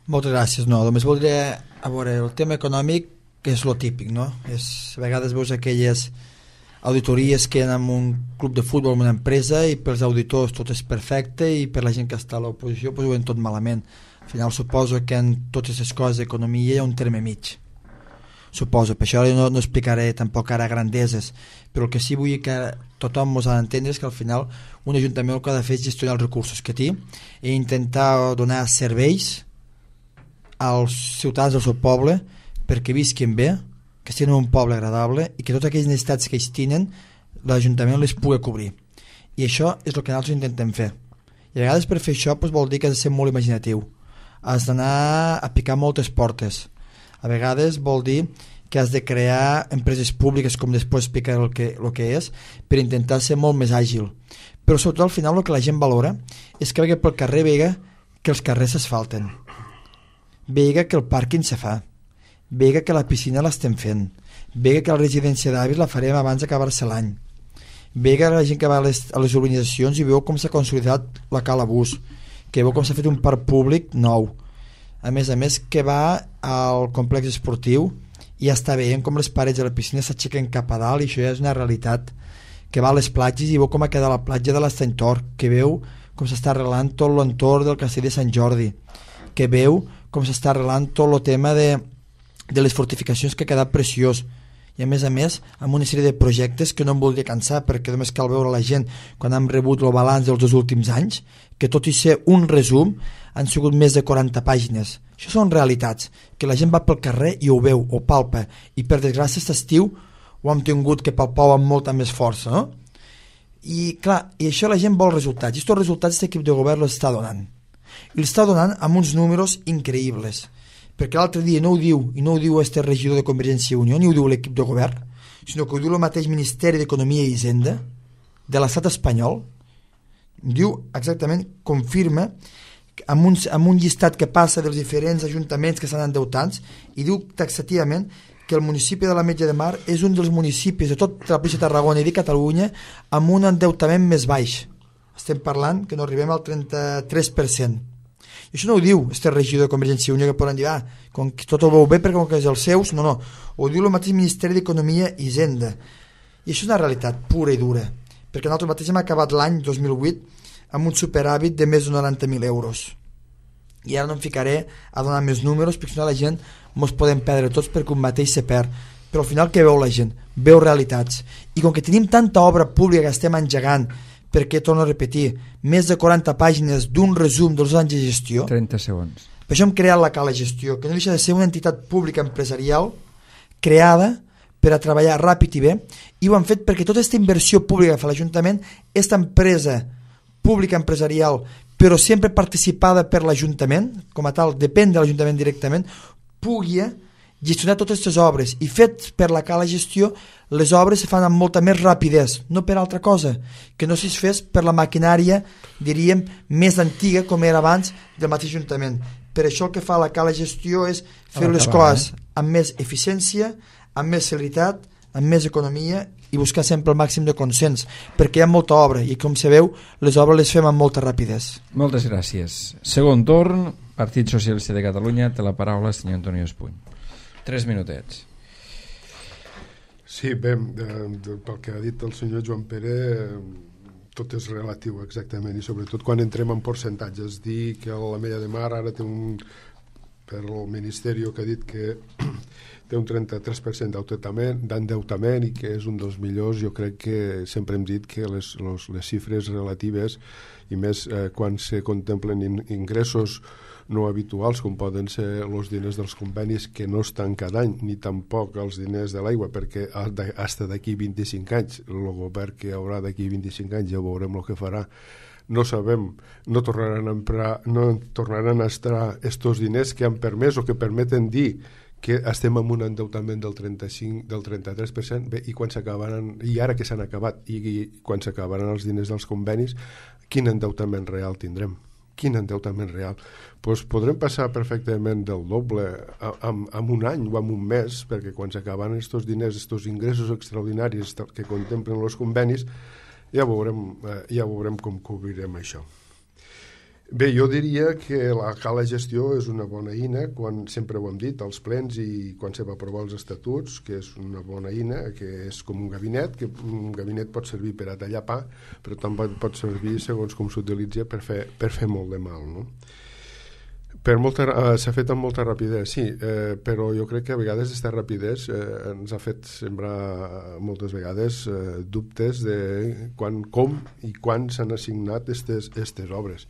Moltes gràcies. No, només voldria, a veure, el tema econòmic, que és lo típic, no? És, a vegades veus aquelles auditories que hi ha en un club de futbol, en una empresa, i pels auditors tot és perfecte, i per la gent que està a l'oposició pues, ho veuen tot malament. Al final suposo que en totes les coses d'economia hi ha un terme mig, suposo. Per això no, no explicaré tampoc ara grandeses, però el que sí vull que tothom ens ha d'entendre és que al final un ajuntament el que ha de fer és gestionar els recursos que té i intentar donar serveis als ciutadans del seu poble perquè visquin bé, que estiguin en un poble agradable, i que totes aquelles necessitats que ells tenen l'Ajuntament les pugui cobrir. I això és el que nosaltres intentem fer. I a vegades per fer això doncs, vol dir que has de ser molt imaginatiu, has d'anar a picar moltes portes. A vegades vol dir que has de crear empreses públiques, com després explicar el que, el que és, per intentar ser molt més àgil. Però sobretot al final el que la gent valora és que pel carrer vega que els carrers s'asfalten, vega que el pàrquing se fa, vega que la piscina l'estem fent, Ve que la residència d'avis la farem abans d'acabar-se l'any. Ve que la gent que va a les, a les urbanitzacions i veu com s'ha consolidat la Cala Bus, que veu com s'ha fet un parc públic nou. A més a més que va al complex esportiu i ja està veient com les parets de la piscina s'aixequen cap a dalt, i això ja és una realitat. Que va a les platges i veu com ha quedat la platja de l'Estany Tor, que veu com s'està arreglant tot l'entorn del castell de Sant Jordi, que veu com s'està arreglant tot el tema de, de les fortificacions, que ha quedat preciós. I a més a més amb una sèrie de projectes que no em voldria cansar, perquè només cal veure la gent quan hem rebut el balanç dels dos últims anys, que tot i ser un resum han sigut més de quaranta pàgines. Això són realitats, que la gent va pel carrer i ho veu, ho palpa, i per desgràcia aquest estiu ho hem tingut que palpar amb molta més força, no? I clar, i això la gent vol resultats, i aquests resultats aquest equip de govern els està donant, i els està donant amb uns números increïbles, perquè l'altre dia no ho diu, i no ho diu este regidor de Convergència i Unió, ni ho diu l'equip de govern, sinó que ho diu el mateix Ministeri d'Economia i Hisenda de l'estat espanyol. Diu exactament, confirma amb un, amb un llistat que passa dels diferents ajuntaments que estan endeutats, i diu taxativament que el municipi de l'Ametlla de Mar és un dels municipis de tota la província de Tarragona i de Catalunya amb un endeutament més baix. Estem parlant que no arribem al trenta-tres per cent. I això no ho diu este regidor de Convergència i Unió, que poden dir, ah, com que tot ho veu bé perquè com que és els seus. No, no, ho diu el mateix Ministeri d'Economia i Hisenda. I això és una realitat pura i dura, perquè nosaltres mateix hem acabat l'any dos mil vuit amb un superàvit de més de noranta mil euros. I ara no em ficaré a donar més números, perquè si no la gent mos podem perdre tots, perquè un mateix se perd. Però al final què veu la gent? Veu realitats. I com que tenim tanta obra pública que estem engegant, perquè, torno a repetir, més de quaranta pàgines d'un resum dels anys de gestió, trenta segons. Per això hem creat la Cala Gestió, que no deixa de ser una entitat pública empresarial creada per a treballar ràpid i bé, i ho han fet perquè tota aquesta inversió pública que fa l'Ajuntament, aquesta empresa pública empresarial, però sempre participada per l'Ajuntament, com a tal, depèn de l'Ajuntament directament, pugui gestionar totes aquestes obres, i fet per la Cala Gestió les obres se fan amb molta més rapidesa, no per altra cosa, que no si es fes per la maquinària, diríem, més antiga com era abans del mateix Ajuntament. Per això el que fa la Cala Gestió és fer les coses amb més eficiència, amb més celeritat, amb més economia, i buscar sempre el màxim de consens, perquè hi ha molta obra i, com se veu, les obres les fem amb molta rapidesa. Moltes gràcies. Segon torn, Partit Socialista de Catalunya, té la paraula senyor Antonio Espuny. Tres minutets. Sí, bé, eh, pel que ha dit el senyor Joan Pere, eh, tot és relatiu exactament, i sobretot quan entrem en percentatges. Dir que l'Ametlla de Mar ara té un, per el Ministeri que ha dit que té un trenta-tres per cent d'endeutament i que és un dels millors. Jo crec que sempre hem dit que les, les, les xifres relatives, i més eh, quan se contemplen in, ingressos no habituals, com poden ser els diners dels convenis que no estan cada any, ni tampoc els diners de l'aigua, perquè hasta d'aquí vint-i-cinc anys, el govern que hi haurà d'aquí vint-i-cinc anys ja veurem el que farà, no sabem, no tornaran a emprar, no tornaran a estar estos diners que han permès o que permeten dir que estem amb un endeutament del trenta-cinc, del trenta-tres per cent, bé, i quan s'acabaran, i ara que s'han acabat, i, i quan s'acabaran els diners dels convenis, quin endeutament real tindrem? Quin endeutament real? Pues podrem passar perfectament del doble en, en un any o en un mes, perquè quan s'acaben estos diners, estos ingressos extraordinaris que contemplen els convenis, ja veurem, ja veurem com cobrirem això. Bé, jo diria que la Cala Gestió és una bona eina, quan sempre ho hem dit, als plens i quan se va aprovar els estatuts, que és una bona eina, que és com un gabinet, que un gabinet pot servir per a tallar pa, però també pot servir, segons com s'utilitza, per fer, per fer molt de mal, no? Per molta, uh, s'ha fet amb molta rapidesa, sí, eh, però jo crec que a vegades aquesta rapidesa eh, ens ha fet sembrar moltes vegades eh, dubtes de quan, com i quan s'han assignat aquestes obres.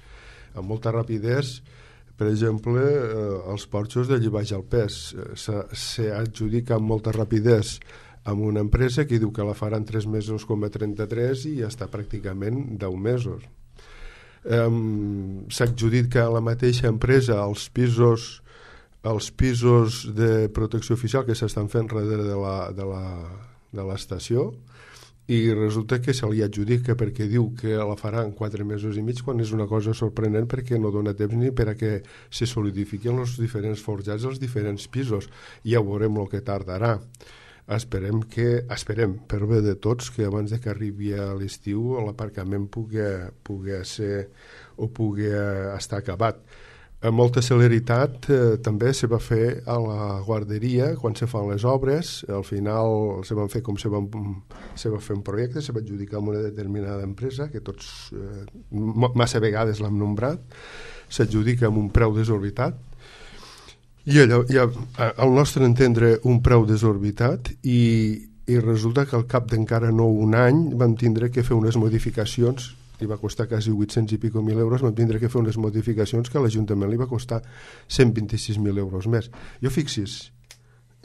Amb molta rapidesa, per exemple, eh, els porxos de Llibaix al Pes s'adjudica amb molta rapidesa amb una empresa que diu que la farà en tres mesos coma trenta-tres i ja està pràcticament deu mesos. Um, s'adjudica a la mateixa empresa els pisos els pisos de protecció oficial que s'estan fent darrere de la, de la, de l'estació, i resulta que se li adjudica perquè diu que la farà en quatre mesos i mig, quan és una cosa sorprenent perquè no dona temps ni per a que se solidifiquin els diferents forjats dels diferents pisos. Ja veurem el que tardarà. esperem que, esperem per bé de tots, que abans de que arribi a l'estiu l'aparcament pugui, pugui ser o pugui estar acabat. Amb molta celeritat eh, també se va fer a la guarderia quan se fan les obres. Al final se van fer com se, van, se va fer un projecte, se va adjudicar amb una determinada empresa que tots eh, massa vegades l'hem nombrat, s'adjudica amb un preu desorbitat i allò, ja, al nostre entendre un preu desorbitat i, i resulta que al cap d'encara no un any vam tindre que fer unes modificacions li va costar quasi vuit-cents i pico mil euros, vam tindre que fer unes modificacions que a l'Ajuntament li va costar cent vint-i-sis mil euros més. Jo fixis,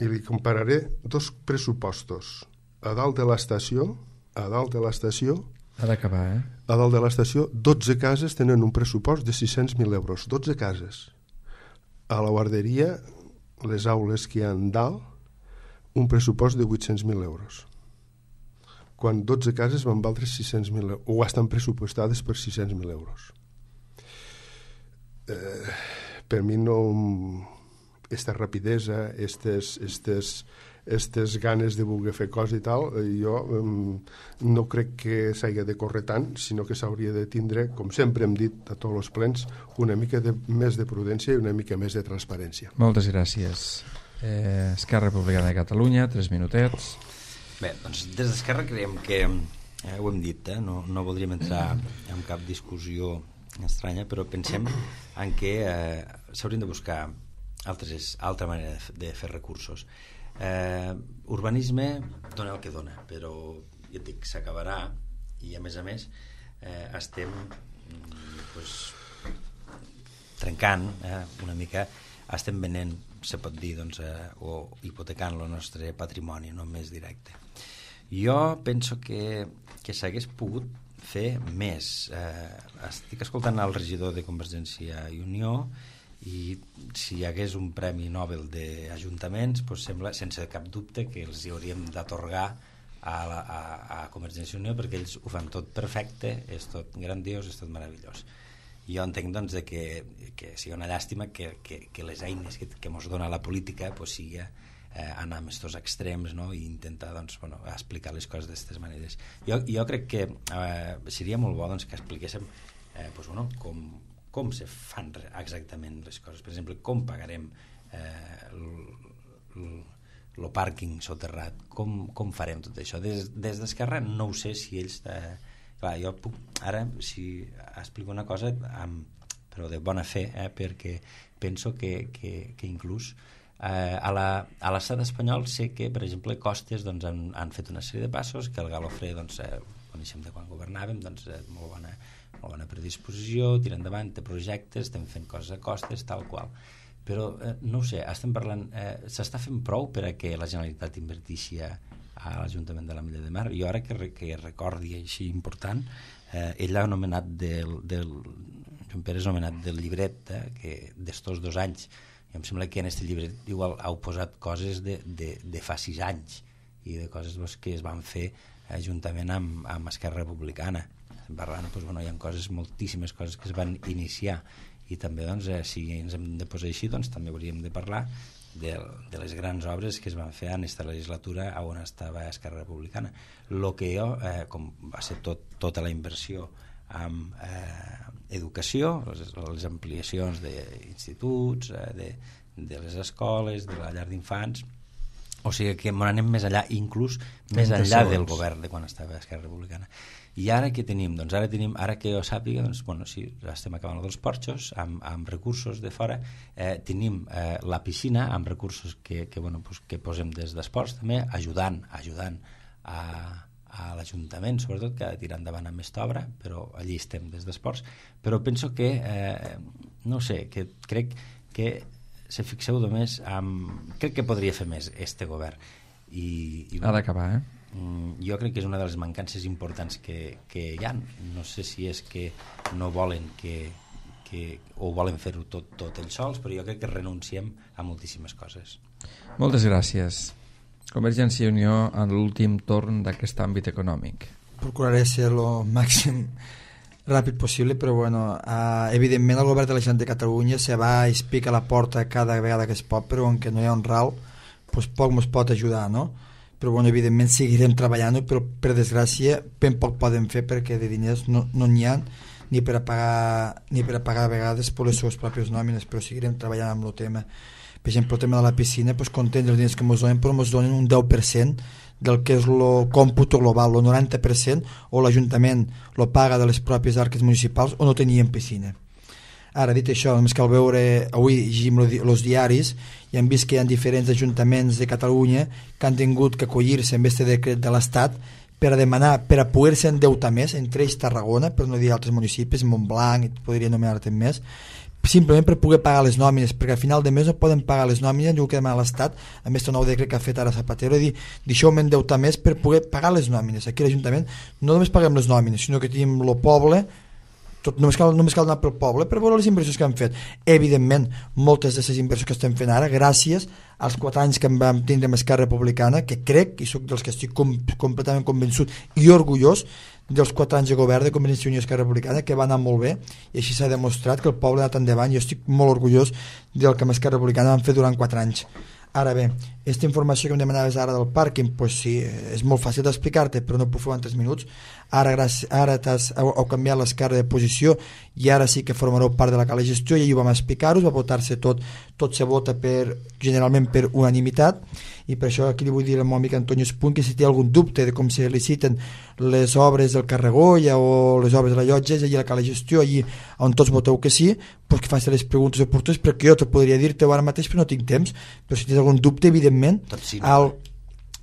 i li compararé dos pressupostos. A dalt de l'estació, a dalt de l'estació, ha d'acabar, eh? A dalt de l'estació, dotze cases tenen un pressupost de sis-cents mil euros, dotze cases. A la guarderia, les aules que hi ha dalt, un pressupost de vuit-cents mil euros. Quan dotze cases van valdre sis-cents mil euros, o estan pressupostades per sis-cents mil euros. Eh, per mi no... Esta rapidesa, estes, estes, estes ganes de voler fer coses i tal, jo eh, no crec que s'hagi de córrer tant, sinó que s'hauria de tindre, com sempre hem dit a tots els plens, una mica de, més de prudència i una mica més de transparència. Moltes gràcies. Eh, Esquerra Republicana de Catalunya, tres minutets. Bé, doncs des d'Esquerra creiem que, eh, ho hem dit, eh, no, no voldríem entrar en cap discussió estranya, però pensem en que eh, s'haurien de buscar altres, altra manera de, de fer recursos. Eh, urbanisme dona el que dona, però ja et dic, s'acabarà i a més a més eh, estem pues, trencant eh, una mica, estem venent, se pot dir, doncs, eh, o hipotecant el nostre patrimoni, no més directe. Jo penso que, que s'hagués pogut fer més. Eh, estic escoltant el regidor de Convergència i Unió i si hi hagués un premi Nobel d'Ajuntaments, doncs sembla sense cap dubte que els hi hauríem d'atorgar a, la, a, a Convergència i Unió perquè ells ho fan tot perfecte, és tot grandiós, és tot meravellós. Jo entenc doncs, de que, que sigui una llàstima que, que, que les eines que, que ens dona la política pues, sigui eh, anar amb aquests extrems, no? I intentar doncs, bueno, explicar les coses d'aquestes maneres. Jo, jo crec que eh, seria molt bo doncs, que expliquéssim eh, pues, bueno, com, com se fan exactament les coses. Per exemple, com pagarem eh, el pàrquing soterrat, com, com farem tot això. Des, des d'Esquerra no ho sé si ells... Eh, clar, jo puc ara, si explico una cosa amb, però de bona fe, eh, perquè penso que, que, que inclús eh, a l'estat espanyol sé que, per exemple, Costes doncs, han, han fet una sèrie de passos, que el Galofré doncs, eh, coneixem de quan governàvem, doncs, eh, molt, bona, molt bona predisposició, tira endavant, té projectes, estem fent coses a Costes, tal qual. Però, eh, no ho sé, estem parlant, eh, s'està fent prou per a que la Generalitat invertixi a, a l'Ajuntament de l'Ametlla de Mar? Jo ara que, que recordi així important, eh, ell ha nomenat del, del Joan Pere és nomenat del llibret eh, que d'estos dos anys, i em sembla que en aquest llibret igual heu posat coses de, de, de fa sis anys i de coses doncs, que es van fer eh, juntament amb, amb Esquerra Republicana. Parlant, doncs, bueno, hi ha coses, moltíssimes coses que es van iniciar i també doncs, eh, si ens hem de posar així doncs, també hauríem de parlar de, de les grans obres que es van fer en aquesta legislatura on estava Esquerra Republicana. El que jo, eh, com va ser tot, tota la inversió amb eh, educació, les, les ampliacions d'instituts, eh, de, de les escoles, de la llar d'infants, o sigui que anem més enllà, inclús més enllà del govern de quan estava Esquerra Republicana. I ara què tenim? Doncs ara tenim, ara que jo sàpiga, doncs, bueno, sí, estem acabant dels porxos, amb, amb recursos de fora, eh, tenim eh, la piscina amb recursos que, que, bueno, pues, que posem des d'esports també, ajudant, ajudant a, a l'Ajuntament, sobretot, que ha de tirar endavant amb aquesta obra, però allí estem des d'esports. Però penso que, eh, no sé, que crec que se fixeu només amb... Crec que podria fer més este govern. I, i, ha d'acabar, eh? Jo crec que és una de les mancances importants que, que hi ha. No sé si és que no volen que, que o volen fer-ho tot, tot ells sols, però jo crec que renunciem a moltíssimes coses. Moltes gràcies. Convergència i Unió en l'últim torn d'aquest àmbit econòmic. Procuraré ser el màxim ràpid possible, però bueno, uh, evidentment el govern de la Generalitat de Catalunya se va i es pica la porta cada vegada que es pot, però on que no hi ha un ral, pues poc ens pot ajudar, no? però bueno, evidentment seguirem treballant, però per desgràcia ben poc poden fer perquè de diners no n'hi no ha ni per a pagar ni per a pagar a vegades per les seves pròpies nòmines, però seguirem treballant amb el tema. Per exemple, el tema de la piscina, doncs contents dels diners que ens donen, però ens donen un deu per cent del que és el còmput global, el noranta per cent o l'Ajuntament lo paga de les pròpies arques municipals o no tenien piscina. Ara, dit això, només cal veure, avui llegim els diaris i hem vist que hi ha diferents ajuntaments de Catalunya que han tingut que acollir-se amb este decret de l'Estat per a demanar, per a poder-se endeutar més, entre ells Tarragona, per no dir altres municipis, Montblanc, i podria anomenar-te més, simplement per poder pagar les nòmines, perquè al final de mes no poden pagar les nòmines, diu que demana l'Estat, amb aquest nou decret que ha fet ara Zapatero, dir, deixeu-me endeutar més per poder pagar les nòmines. Aquí a l'Ajuntament no només paguem les nòmines, sinó que tenim el poble, tot, només, cal, només cal anar pel poble per veure les inversions que han fet. Evidentment, moltes d'aquestes inversions que estem fent ara, gràcies als quatre anys que vam tindre amb Esquerra Republicana, que crec, i soc dels que estic com, completament convençut i orgullós dels quatre anys de govern de Convergència i Unió i Esquerra Republicana, que va anar molt bé, i així s'ha demostrat que el poble ha anat endavant, i jo estic molt orgullós del que amb Esquerra Republicana vam fer durant quatre anys. Ara bé, aquesta informació que em demanaves ara del pàrquing, doncs sí, és molt fàcil d'explicar-te, però no puc fer en tres minuts. Ara, gràcies, ara t'has, heu, heu canviat l'esquerra de posició i ara sí que formareu part de la cala gestió, i ahir ho vam explicar-vos, va votar-se tot, tot se vota per, generalment per unanimitat, i per això aquí li vull dir al meu amic Antonio Espuny que si té algun dubte de com se liciten les obres del Carregolla o les obres de la Llotja, és allà a la cala gestió, allí on tots voteu que sí, doncs que faci les preguntes oportunes, perquè jo te podria dir-te ara mateix, però no tinc temps, però si tens algun dubte, evidentment, sí, no. al,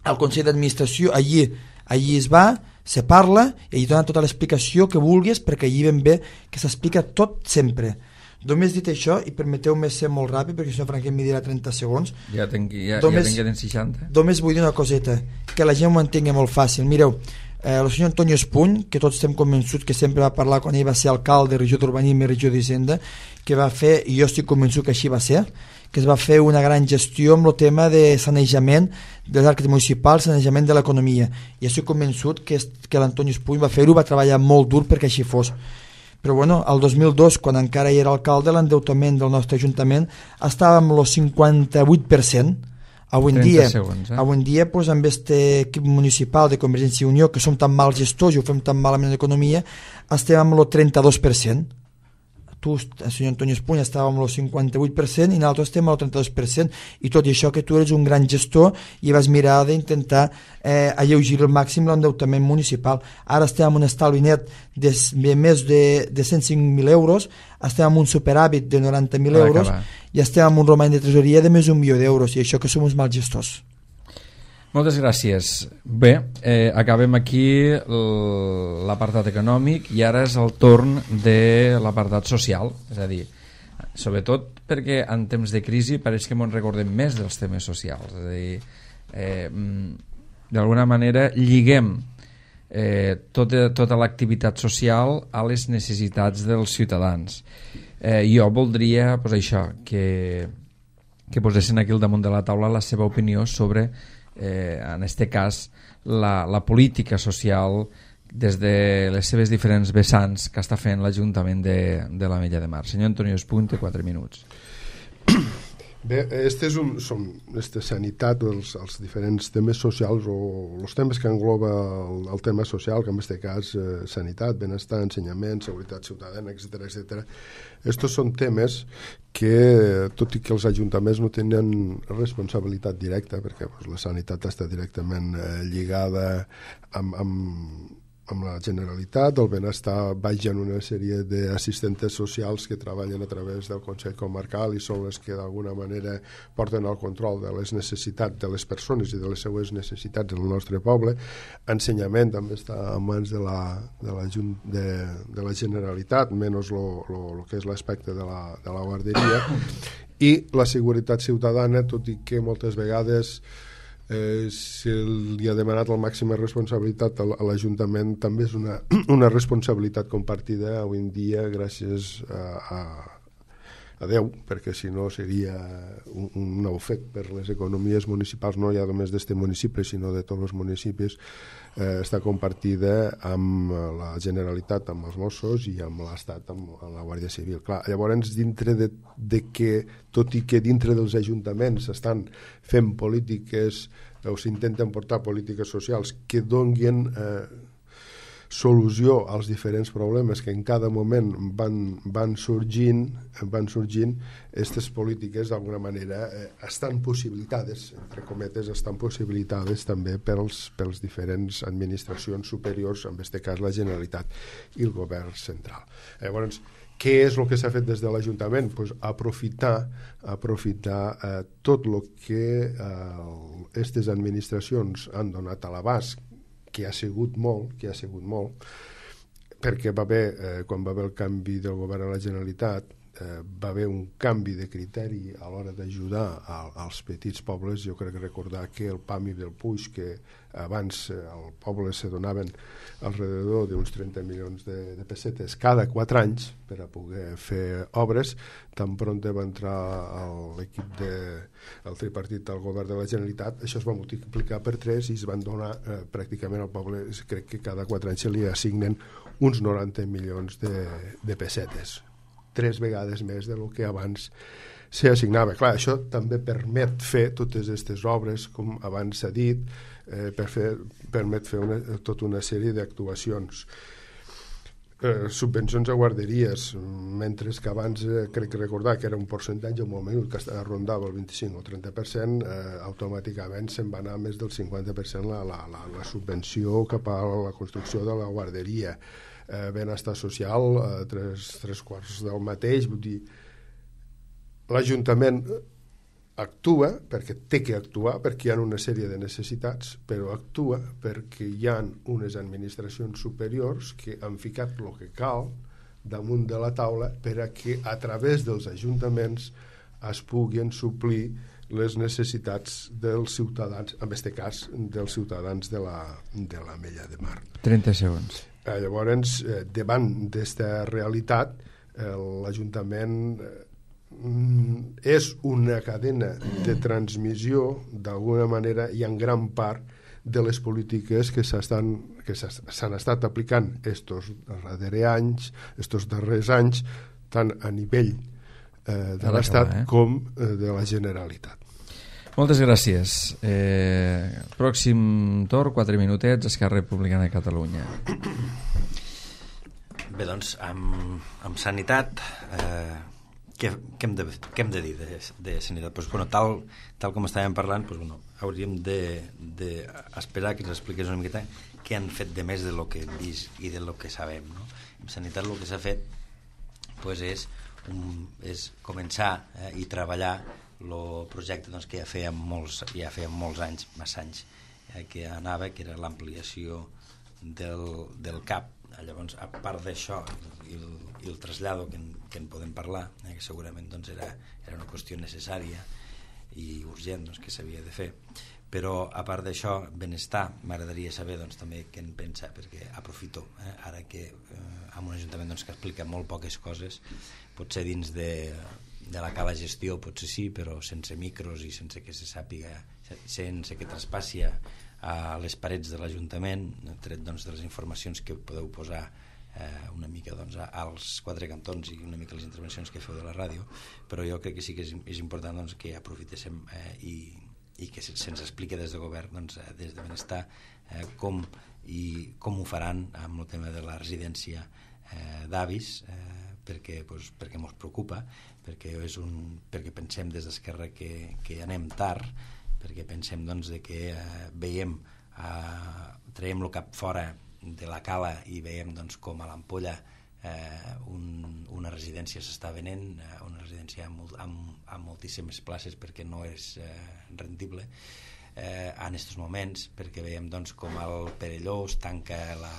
al Consell d'Administració allí, allí es va, se parla i allí dona tota l'explicació que vulguis, perquè allí ben bé que s'explica tot sempre. Només dit això, i permeteu-me ser molt ràpid perquè si no Franquet m'hi dirà trenta segons, ja tenc, ja, només, ja tenc seixanta. Només vull dir una coseta, que la gent ho entengui molt fàcil. Mireu, eh, el senyor Antonio Espuny, que tots estem convençuts que sempre va parlar quan ell va ser alcalde, regió d'Urbanisme i regió d'Hisenda, que va fer, i jo estic convençut que així va ser, que es va fer una gran gestió amb el tema de sanejament dels arcs municipals, sanejament de l'economia, i estic convençut que, que l'Antonio Espuny va fer-ho, va treballar molt dur perquè així fos. Però bueno, el dos mil dos, quan encara hi era alcalde, l'endeutament del nostre Ajuntament estava amb el cinquanta-vuit per cent. Avui en dia, segons, eh? avui en dia pues, amb aquest equip municipal de Convergència i Unió, que som tan mals gestors i ho fem tan malament en l'economia, estem amb el trenta-dos per cent. Tu, el senyor Antonio Espuny, estava amb el cinquanta-vuit per cent i nosaltres estem al trenta-dos per cent, i tot i això que tu eres un gran gestor i vas mirar d'intentar eh, alleugir al màxim l'endeutament municipal. Ara estem amb un estalvi net de, de més de, de cent cinc mil euros, estem amb un superàvit de noranta mil euros acabar. I estem amb un romany de tresoreria de més d'un milió d'euros, i això que som uns mals gestors. Moltes gràcies. Bé, eh, acabem aquí l'apartat econòmic i ara és el torn de l'apartat social, és a dir, sobretot perquè en temps de crisi pareix que ens recordem més dels temes socials, és a dir, eh, d'alguna manera lliguem eh, tota, tota l'activitat social a les necessitats dels ciutadans. Eh, jo voldria, pues, això, que, que posessin aquí al damunt de la taula la seva opinió sobre Eh, en este cas la, la política social des de les seves diferents vessants que està fent l'Ajuntament de, de l'Ametlla de Mar. Senyor Antonio Espuny, té quatre minuts. Bé, este és un, som, este sanitat, els, els diferents temes socials o els temes que engloba el, el tema social, que en aquest cas eh, sanitat, benestar, ensenyament, seguretat ciutadana, etcètera, etcètera. Estos són temes que, tot i que els ajuntaments no tenen responsabilitat directa, perquè pues, la sanitat està directament eh, lligada amb, amb amb la Generalitat, el benestar vaja en una sèrie d'assistentes socials que treballen a través del Consell Comarcal i són les que d'alguna manera porten el control de les necessitats de les persones i de les seues necessitats del nostre poble. Ensenyament també està en mans de la, de la, de, de la Generalitat, menys el que és l'aspecte de, la, de la guarderia, i la seguretat ciutadana, tot i que moltes vegades Eh, si li ha demanat la màxima responsabilitat a l'Ajuntament, també és una, una responsabilitat compartida avui en dia gràcies a, a, a deu, perquè si no seria un, un ofec per les economies municipals, no ja només d'este municipi, sinó de tots els municipis, eh, està compartida amb la Generalitat, amb els Mossos i amb l'Estat, amb, amb la Guàrdia Civil. Clar, llavors, dintre de, de que, tot i que dintre dels ajuntaments s'estan fent polítiques o s'intenten portar polítiques socials que donguin eh, solució als diferents problemes que en cada moment van, van sorgint, van sorgint, aquestes polítiques d'alguna manera eh, estan possibilitades, entre cometes, estan possibilitades també pels, pels diferents administracions superiors, en aquest cas la Generalitat i el govern central. Llavors, què és el que s'ha fet des de l'Ajuntament? Pues aprofitar, aprofitar eh, tot el que aquestes eh, administracions han donat a l'abast, que ha sigut molt, que ha sigut molt, perquè va haver, eh, quan va haver el canvi del govern a la Generalitat, eh, va haver un canvi de criteri a l'hora d'ajudar als petits pobles. Jo crec recordar que el P A M I del Puig, que abans eh, al poble se donaven alrededor d'uns trenta milions de, de pessetes cada quatre anys per a poder fer obres, tan pront va entrar l'equip del tripartit al govern de la Generalitat, això es va multiplicar per tres i es van donar eh, pràcticament al poble, crec que cada quatre anys se li assignen uns noranta milions de, de pessetes, tres vegades més de lo que abans s'assignava. Clar, això també permet fer totes aquestes obres, com abans s'ha dit, eh, per fer, permet fer una, tota una sèrie d'actuacions. Eh, subvencions a guarderies, mentre que abans eh, crec recordar que era un percentatge molt menut, que rondava el vint-i-cinc o trenta per cent, eh, automàticament se'n va anar més del cinquanta per cent la, la, la, la subvenció cap a la construcció de la guarderia. Eh, benestar social, eh, tres, tres quarts del mateix, vull dir, l'Ajuntament actua perquè té que actuar, perquè hi ha una sèrie de necessitats, però actua perquè hi ha unes administracions superiors que han ficat el que cal damunt de la taula per a que a través dels ajuntaments es puguin suplir les necessitats dels ciutadans, en aquest cas dels ciutadans de la, de la Mella de Mar. trenta segons. Eh, llavors, eh, davant d'esta realitat, eh, l'Ajuntament eh, és una cadena de transmissió, d'alguna manera, i en gran part de les polítiques que s'estan que s'han estat aplicant estos darrers anys, estos darrers anys, tant a nivell eh, de l'Estat eh? com eh, de la Generalitat. Moltes gràcies. Eh, pròxim torn, quatre minutets, Esquerra Republicana de Catalunya. Bé, doncs, amb, amb sanitat, eh, què, què, hem de, què hem de dir de, de sanitat? Pues, bueno, tal, tal com estàvem parlant, pues, bueno, hauríem d'esperar de, de que ens expliqués una miqueta què han fet de més de lo que hem vist i de lo que sabem, no? En sanitat el que s'ha fet pues, és, un, és començar eh, i treballar el projecte doncs, que ja fèiem molts, ja fèiem molts anys, massa anys, eh, que anava, que era l'ampliació del, del C A P. Llavors, a part d'això i el, i el trasllado que en, que en podem parlar, eh, que segurament doncs, era, era una qüestió necessària i urgent doncs, que s'havia de fer, però a part d'això, benestar, m'agradaria saber doncs, també què en pensa, perquè aprofito, eh, ara que eh, amb un ajuntament doncs, que explica molt poques coses, potser dins de de la cala gestió potser sí, però sense micros i sense que se sàpiga, sense que traspassi a les parets de l'Ajuntament, tret doncs, de les informacions que podeu posar eh, una mica doncs, als quatre cantons i una mica les intervencions que feu de la ràdio, però jo crec que sí que és, és important doncs, que aprofitéssim eh, i, i que se'ns expliqui des de govern, doncs, des de benestar, eh, com, i com ho faran amb el tema de la residència eh, d'avis, eh, perquè, doncs, perquè mos preocupa, perquè, és un, perquè pensem des d'Esquerra que, que anem tard, perquè pensem doncs, de que eh, veiem, eh, traiem el cap fora de la cala i veiem doncs, com a l'Ampolla eh, un, una residència s'està venent, eh, una residència amb, amb, amb moltíssimes places perquè no és eh, rendible eh, en aquests moments, perquè veiem doncs, com el Perelló es tanca la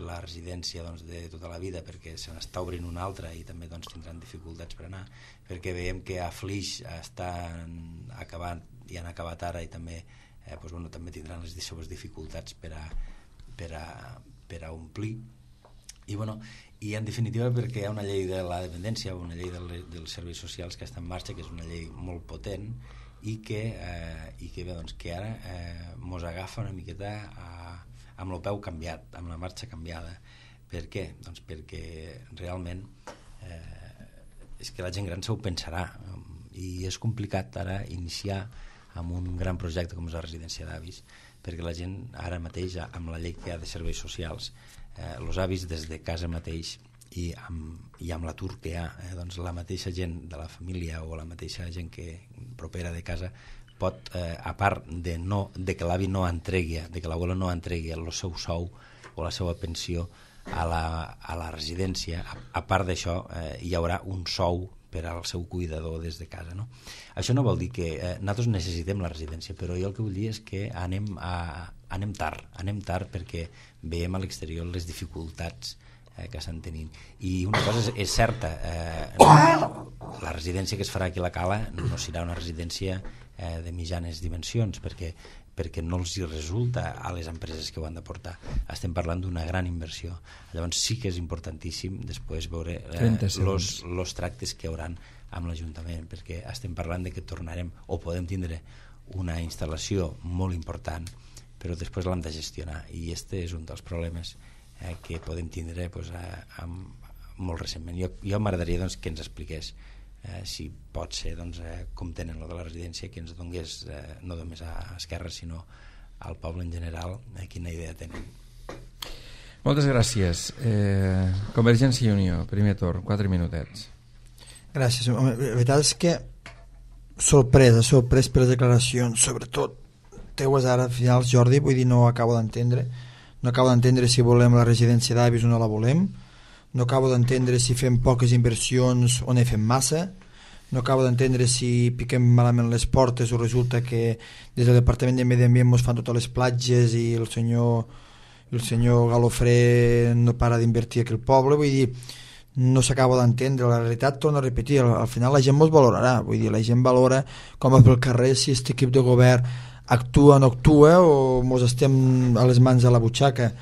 la residència doncs, de tota la vida perquè se n'està obrint una altra i també doncs, tindran dificultats per anar, perquè veiem que a Flix estan acabant i han acabat ara i també, eh, doncs, bueno, també tindran les seves dificultats per a, per a, per a omplir i, bueno, I en definitiva perquè hi ha una llei de la dependència, una llei del, dels serveis socials que està en marxa, que és una llei molt potent i que, eh, i que, bé, doncs, que ara eh, mos agafa una miqueta a, amb el peu canviat, amb la marxa canviada. Per què? Doncs perquè realment eh, és que la gent gran se ho pensarà i és complicat ara iniciar amb un gran projecte com és la residència d'avis, perquè la gent ara mateix, amb la llei que hi ha de serveis socials, eh, els avis des de casa mateix i amb, i amb l'atur que hi ha, eh, doncs la mateixa gent de la família o la mateixa gent que propera de casa pot, eh, a part de, no, de que l'avi no entregui, de que l'abuelo no entregui el seu sou o la seva pensió a la, a la residència, a, a part d'això eh, hi haurà un sou per al seu cuidador des de casa, no? Això no vol dir que eh, nosaltres necessitem la residència, però jo el que vull dir és que anem, a, anem tard, anem tard perquè veiem a l'exterior les dificultats eh, que estan tenint. I una cosa és, és certa, eh, la residència que es farà aquí a la Cala no serà una residència eh, de mitjanes dimensions, perquè perquè no els hi resulta a les empreses que ho han de portar. Estem parlant d'una gran inversió. Llavors sí que és importantíssim després veure els eh, tractes que hi hauran amb l'Ajuntament, perquè estem parlant de que tornarem o podem tindre una instal·lació molt important, però després l'hem de gestionar, i este és un dels problemes eh, que podem tindre pues, eh, amb, molt recentment. Jo, jo m'agradaria doncs, que ens expliqués Eh, si pot ser doncs, eh, com tenen lo de la residència, que ens donés eh, no només a Esquerra sinó al poble en general eh, quina idea tenen. Moltes gràcies. eh, Convergència i Unió, primer torn, quatre minutets. Gràcies. Home, la veritat és que sorpresa, sorprès per les declaracions, sobretot teues ara finals, Jordi, vull dir, no acabo d'entendre no acabo d'entendre si volem la residència d'avis o no la volem. No acabo d'entendre si fem poques inversions o ne fem massa. No acabo d'entendre si piquem malament les portes o resulta que des del Departament de Medi Ambient ens fan totes les platges i el senyor, el senyor Galofré no para d'invertir aquí al poble. Vull dir, no s'acaba d'entendre. La realitat, torno a repetir, al, al final la gent ens valorarà. Vull dir, la gent valora com pel carrer si aquest equip de govern actua o no actua o ens estem a les mans a la butxaca.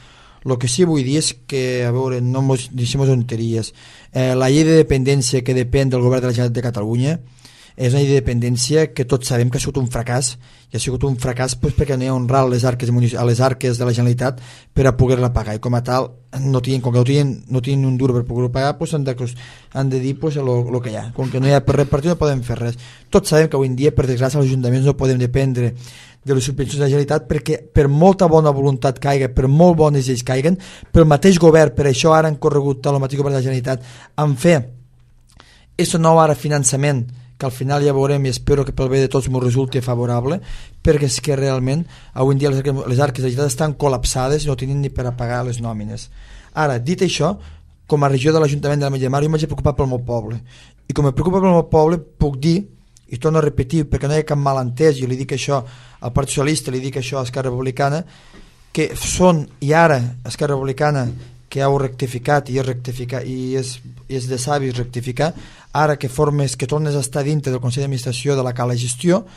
El que sí vull dir és que, a veure, no mos deixem tonteries. Eh, la llei de dependència que depèn del govern de la Generalitat de Catalunya és una llei de dependència que tots sabem que ha sigut un fracàs, i ha sigut un fracàs pues, perquè no hi ha honrat les arques, a les arques de la Generalitat per a poder-la pagar, i com a tal, no tenen, com que no tenen, no tenen un duro per poder-ho pagar, pues, han, de, han de dir pues, el que hi ha. Com que no hi ha per repartir no podem fer res. Tots sabem que avui en dia, per desgràcia, els ajuntaments no podem dependre de les subvencions de la Generalitat perquè per molta bona voluntat caiga, per molt bones lleis caiguen, pel mateix govern, per això ara han corregut el mateix govern de la Generalitat en fer aquest nou ara finançament que al final ja veurem i espero que pel bé de tots m'ho resulti favorable, perquè és que realment avui en dia les arques, les arques de la Generalitat estan col·lapsades i no tenen ni per a pagar les nòmines. Ara, dit això, com a regió de l'Ajuntament de la Metlla de Mar, jo m'haig preocupat pel meu poble, i com me preocupa pel meu poble puc dir, i torno a repetir perquè no hi ha cap malentès, i li dic això al Partit Socialista, li dic això a Esquerra Republicana, que són, i ara Esquerra Republicana que heu rectificat i és, rectificat, i és, i és de savis rectificar, ara que formes, que tornes a estar dintre del Consell d'Administració de la Cala Gestió,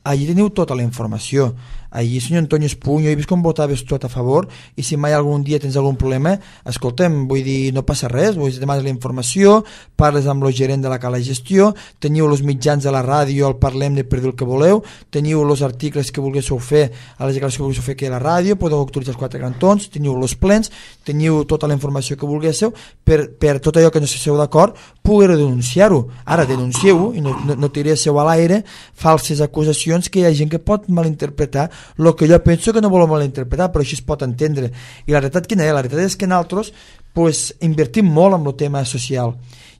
allí teniu tota la informació. Allí, senyor Antonio Espunyo, he vist com votaves tot a favor, i si mai algun dia tens algun problema, escolta'm, vull dir, no passa res, vull dir, demanes la informació, parles amb el gerent de la Cala Gestió, teniu els mitjans de la ràdio, el parlem de per dir el que voleu, teniu els articles que volguéssiu fer, a les declaracions que volguéssiu fer aquí a la ràdio, podeu autoritzar els quatre cantons, teniu els plens, teniu tota la informació que volguéssiu, per, per tot allò que no esteu d'acord, poder denunciar-ho. Ara, denuncieu-ho, i no, no, no tiréssiu a l'aire falses acusacions que hi ha gent que pot malinterpretar el que jo penso que no volem malinterpretar, però així es pot entendre. I la realitat quina és? La realitat és que nosaltres pues, invertim molt en el tema social,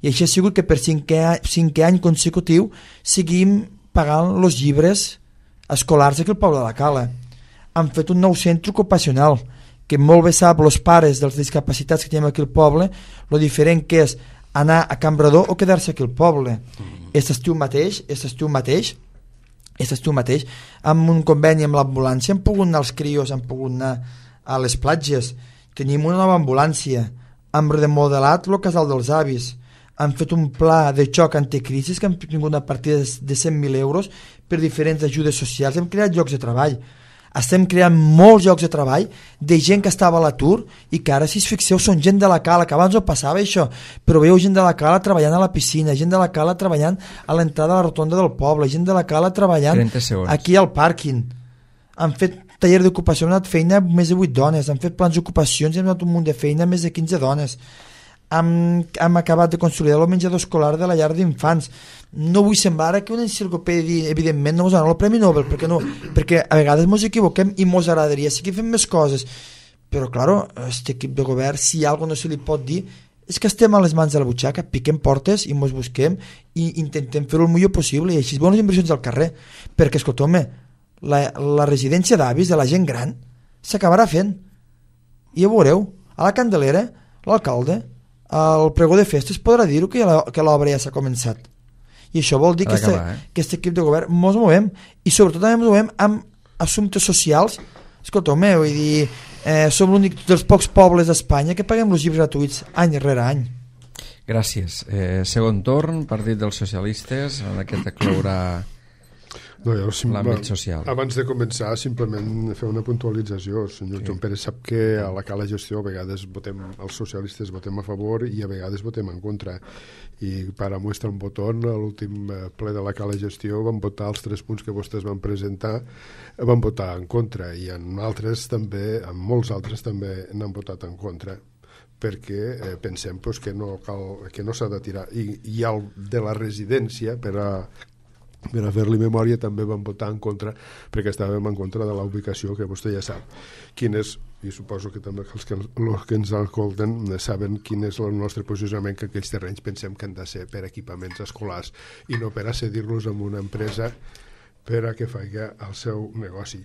i això ha sigut que per cinquè, cinquè any consecutiu seguim pagant els llibres escolars aquí al poble de la Cala. Han fet un nou centre ocupacional que molt bé sap els pares dels discapacitats que tenim aquí al poble lo diferent que és anar a Cambrador o quedar-se aquí al poble. Aquest estiu mateix, aquest estiu mateix Aquest estiu mateix, amb un conveni amb l'ambulància, han pogut anar els crios, han pogut anar a les platges. Tenim una nova ambulància, hem remodelat el casal dels avis, han fet un pla de xoc anticrisis que han tingut una partida de cent mil euros per diferents ajudes socials, hem creat llocs de treball. estem creant molts llocs de treball de gent que estava a l'atur i que ara, si us fixeu, són gent de la cala, que abans no passava això, però veieu gent de la cala treballant a la piscina, gent de la cala treballant a l'entrada a la rotonda del poble, gent de la cala treballant aquí al pàrquing. Han fet taller d'ocupació, han donat feina a més de vuit dones, han fet plans d'ocupacions i han donat un munt de feina a més de quinze dones. Hem, hem acabat de consolidar el menjador escolar de la llar d'infants. No vull semblar que una enciclopèdia evidentment no ens donarà el Premi Nobel, perquè, no, perquè a vegades ens equivoquem i ens agradaria seguir fent més coses, però claro, aquest equip de govern, si alguna no se li pot dir, és que estem a les mans de la butxaca, piquem portes i ens busquem i intentem fer-ho el millor possible, i així bones inversions al carrer, perquè escolteu-me, la, la residència d'avis de la gent gran s'acabarà fent, i ja veureu, a la Candelera l'alcalde el pregó de festes podrà dir-ho que, que l'obra ja s'ha començat, i això vol dir que aquest eh? equip de govern mos movem, i sobretot també mos movem amb assumptes socials. Escolteu-me, vull dir, eh, som l'únic dels pocs pobles d'Espanya que paguem els llibres gratuïts any rere any. Gràcies. Eh, segon torn, Partit dels Socialistes, en aquest clourà no, jo, l'àmbit social. Abans de començar, simplement fer una puntualització. El senyor sí. Joan Pérez sap que a la cala gestió a vegades votem, els socialistes votem a favor i a vegades votem en contra. I para muestra un botón, a l'últim ple de la cala gestió van votar els tres punts que vostès van presentar, van votar en contra, i en altres també, en molts altres també n'han votat en contra, perquè eh, pensem pues, que no cal, que no s'ha de tirar. I, i el de la residència, per a per a fer-li memòria, també vam votar en contra, perquè estàvem en contra de la ubicació, que vostè ja sap quin és, i suposo que també els que, els que ens escolten saben quin és el nostre posicionament, que aquells terrenys pensem que han de ser per equipaments escolars i no per a cedir-los a una empresa per a que faci el seu negoci.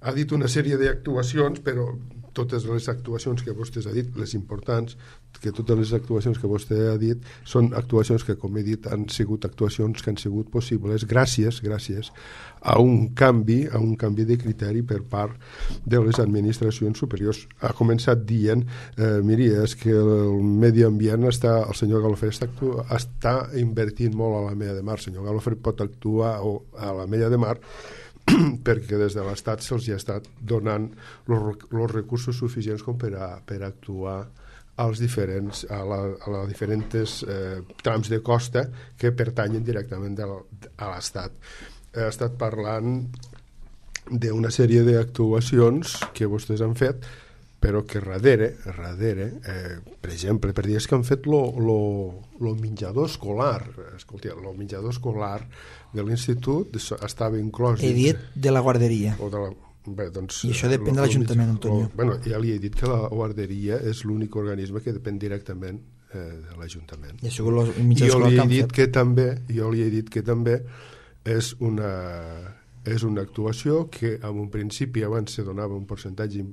Ha dit una sèrie d'actuacions, però totes les actuacions que vostè ha dit, les importants, que totes les actuacions que vostè ha dit són actuacions que, com he dit, han sigut actuacions que han sigut possibles gràcies, gràcies a un canvi, a un canvi de criteri per part de les administracions superiors. Ha començat dient, eh, miri, és que el medi ambient està, el senyor Galofre està, actua, està invertint molt a la Mella de Mar. El senyor Galofre pot actuar a la Mella de Mar perquè des de l'Estat se'ls ha estat donant els recursos suficients com per a, per a actuar als diferents, a, la, a la diferents eh, trams de costa que pertanyen directament de, a l'Estat. He estat parlant d'una sèrie d'actuacions que vostès han fet, però que darrere, darrere eh, per exemple, per dir, és que han fet el menjador escolar. Escolta, el menjador escolar de l'institut estava inclòs... He dit de la guarderia. O de la, bé, doncs, I això depèn lo, de l'Ajuntament, Antonio. O, bueno, ja li he dit que la guarderia és l'únic organisme que depèn directament eh, de l'Ajuntament. I això, el menjador escolar que han fet. Que també, jo li he dit que també és una, és una actuació que en un principi abans se donava un percentatge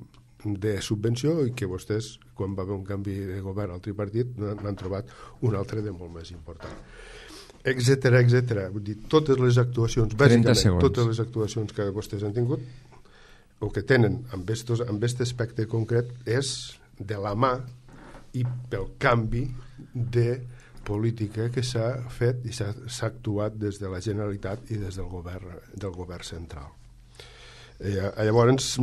de subvenció i que vostès, quan va haver un canvi de govern al tripartit, n'han trobat un altre de molt més important, etcètera, etcètera. Vull dir, totes les actuacions, bàsicament, totes les actuacions que vostès han tingut, o que tenen amb aquest aspecte concret, és de la mà i pel canvi de política que s'ha fet i s'ha actuat des de la Generalitat i des del govern, del govern central. Eh, llavors,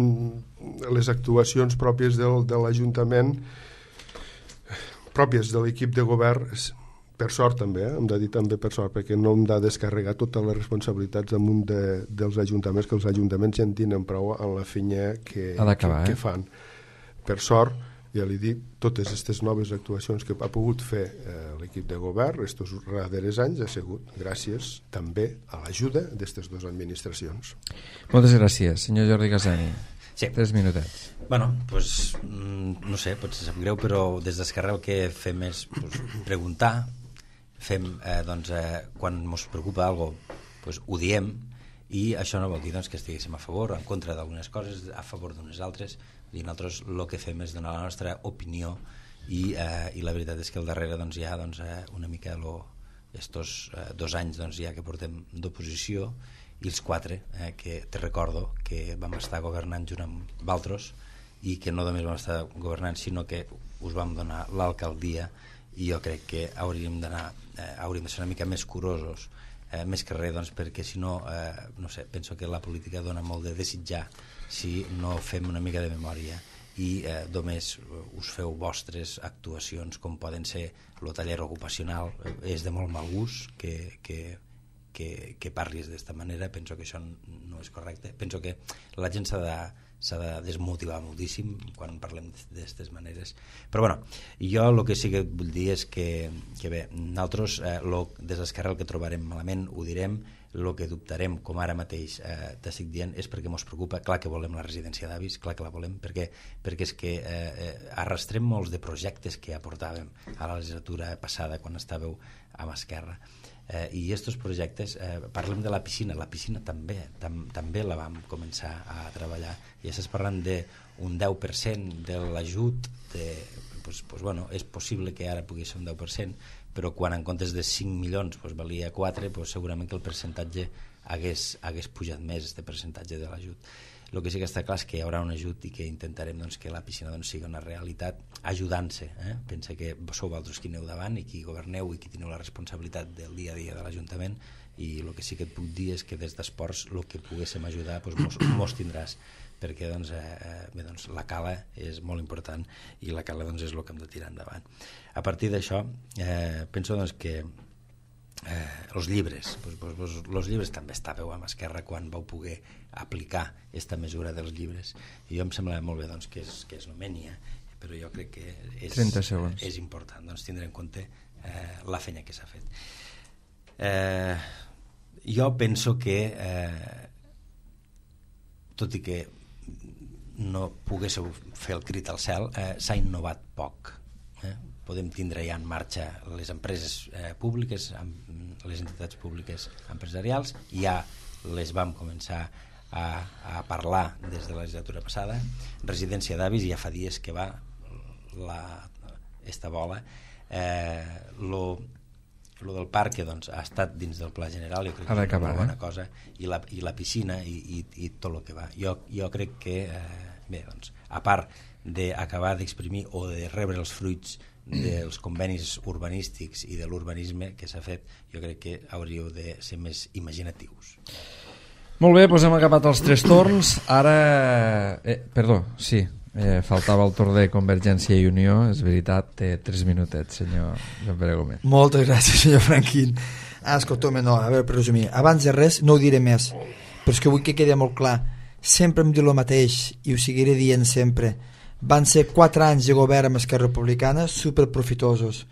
les actuacions pròpies del, de l'Ajuntament, pròpies de l'equip de govern, per sort també, eh? hem de dir també per sort, perquè no hem de descarregar totes les responsabilitats damunt de, dels ajuntaments, que els ajuntaments ja en tenen prou en la feina que, que, que fan. Per sort, ja li dic, totes aquestes noves actuacions que ha pogut fer eh, l'equip de govern estos darrers anys ha sigut gràcies també a l'ajuda d'aquestes dues administracions. Moltes gràcies, senyor Jordi Casani. Sí. Tres minutets. Bueno, pues, no sé, potser sap greu, però des d'Esquerra el que fem és pues, preguntar, fem, eh, doncs, eh, quan ens preocupa alguna cosa, pues, ho diem, i això no vol dir doncs, que estiguéssim a favor o en contra d'algunes coses, a favor d'unes altres. I nosaltres el que fem és donar la nostra opinió i, eh, i la veritat és que al darrere doncs, hi ha doncs, eh, una mica estos eh, dos anys doncs, ja que portem d'oposició i els quatre eh, que te recordo que vam estar governant junt amb Valtros i que no només vam estar governant sinó que us vam donar l'alcaldia i jo crec que hauríem d'anar eh, hauríem de ser una mica més curosos eh, més que res doncs, perquè si no, eh, no sé, penso que la política dona molt de desitjar si no fem una mica de memòria i eh, només us feu vostres actuacions com poden ser el taller ocupacional. És de molt mal gust que, que, que, que parlis d'esta manera. Penso que això no és correcte. Penso que la gent s'ha de s'ha de desmotivar moltíssim quan parlem d'aquestes maneres. Però bueno, jo el que sí que vull dir és que, que bé, nosaltres eh, lo, des d'Esquerra el que trobarem malament ho direm, el que dubtarem, com ara mateix eh, t'estic dient, és perquè ens preocupa. Clar que volem la residència d'avis, clar que la volem, perquè, perquè és que eh, arrastrem molts de projectes que aportàvem a la legislatura passada quan estàveu amb Esquerra. Eh, i aquests projectes, eh, parlem de la piscina, la piscina també, tam, també la vam començar a treballar, i estàs parlant d'un deu per cent de l'ajut, de, pues, pues, bueno, és possible que ara pugui ser un deu per cent, però quan en comptes de cinc milions pues, valia quatre, pues, segurament que el percentatge hagués, hagués pujat més, este percentatge de l'ajut. El que sí que està clar és que hi haurà un ajut i que intentarem doncs, que la piscina doncs, sigui una realitat ajudant-se. Eh? Pensa que sou vosaltres qui aneu davant i qui governeu i qui teniu la responsabilitat del dia a dia de l'Ajuntament, i el que sí que et puc dir és que des d'esports el que poguéssim ajudar doncs, mos, mos tindràs, perquè doncs, eh, bé, doncs, la cala és molt important i la cala doncs, és el que hem de tirar endavant. A partir d'això eh, penso doncs, que Eh, els llibres pues, pues, pues, los llibres també estàveu amb Esquerra quan vau poder aplicar esta mesura dels llibres, i jo em sembla molt bé doncs, que, és, que es nomeni, eh? Però jo crec que és, eh, és important doncs, tindre en compte eh, la feina que s'ha fet. eh, jo penso que eh, tot i que no poguéssiu fer el crit al cel, eh, s'ha innovat poc. eh? Podem tindre ja en marxa les empreses eh, públiques, les entitats públiques empresarials, ja les vam començar a, a parlar des de la legislatura passada. Residència d'avis, ja fa dies que va la, esta bola. Eh, lo, lo del parc doncs, ha estat dins del pla general, jo crec que és una bona eh? cosa, i la, i la piscina i, i, i tot el que va. Jo, jo crec que, eh, bé, doncs, a part d'acabar d'exprimir o de rebre els fruits dels convenis urbanístics i de l'urbanisme que s'ha fet, jo crec que hauríeu de ser més imaginatius. Molt bé, doncs hem acabat els tres torns. Ara, eh, perdó, sí, eh, faltava el torn de Convergència i Unió, és veritat, té tres minutets, senyor Joan Pere Gómez. Moltes gràcies, senyor Franquín. Ah, escolta'm, no, a veure, per resumir, abans de res no ho diré més, però és que vull que quedi molt clar, sempre em diu el mateix i ho seguiré dient sempre. Van ser quatre anys de govern amb Esquerra Republicana superprofitosos.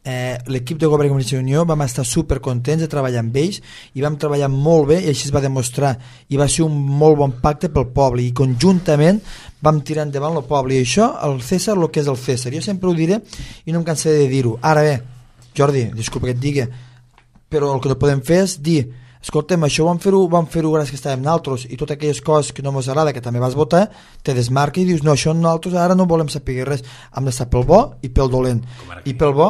Eh, l'equip de govern de Convergència i Unió vam estar supercontents de treballar amb ells i vam treballar molt bé i així es va demostrar, i va ser un molt bon pacte pel poble, i conjuntament vam tirar endavant el poble, i això, el César, el que és el César. Jo sempre ho diré i no em cansaré de dir-ho. Ara bé, Jordi, disculpa que et digui, però el que no podem fer és dir escolta'm, això vam fer-ho vam fer-ho gràcies que estàvem nosaltres, i totes aquelles coses que no ens agrada, que també vas votar, te desmarques i dius, no, això nosaltres ara no volem saber res, hem d'estar pel bo i pel dolent, i pel bo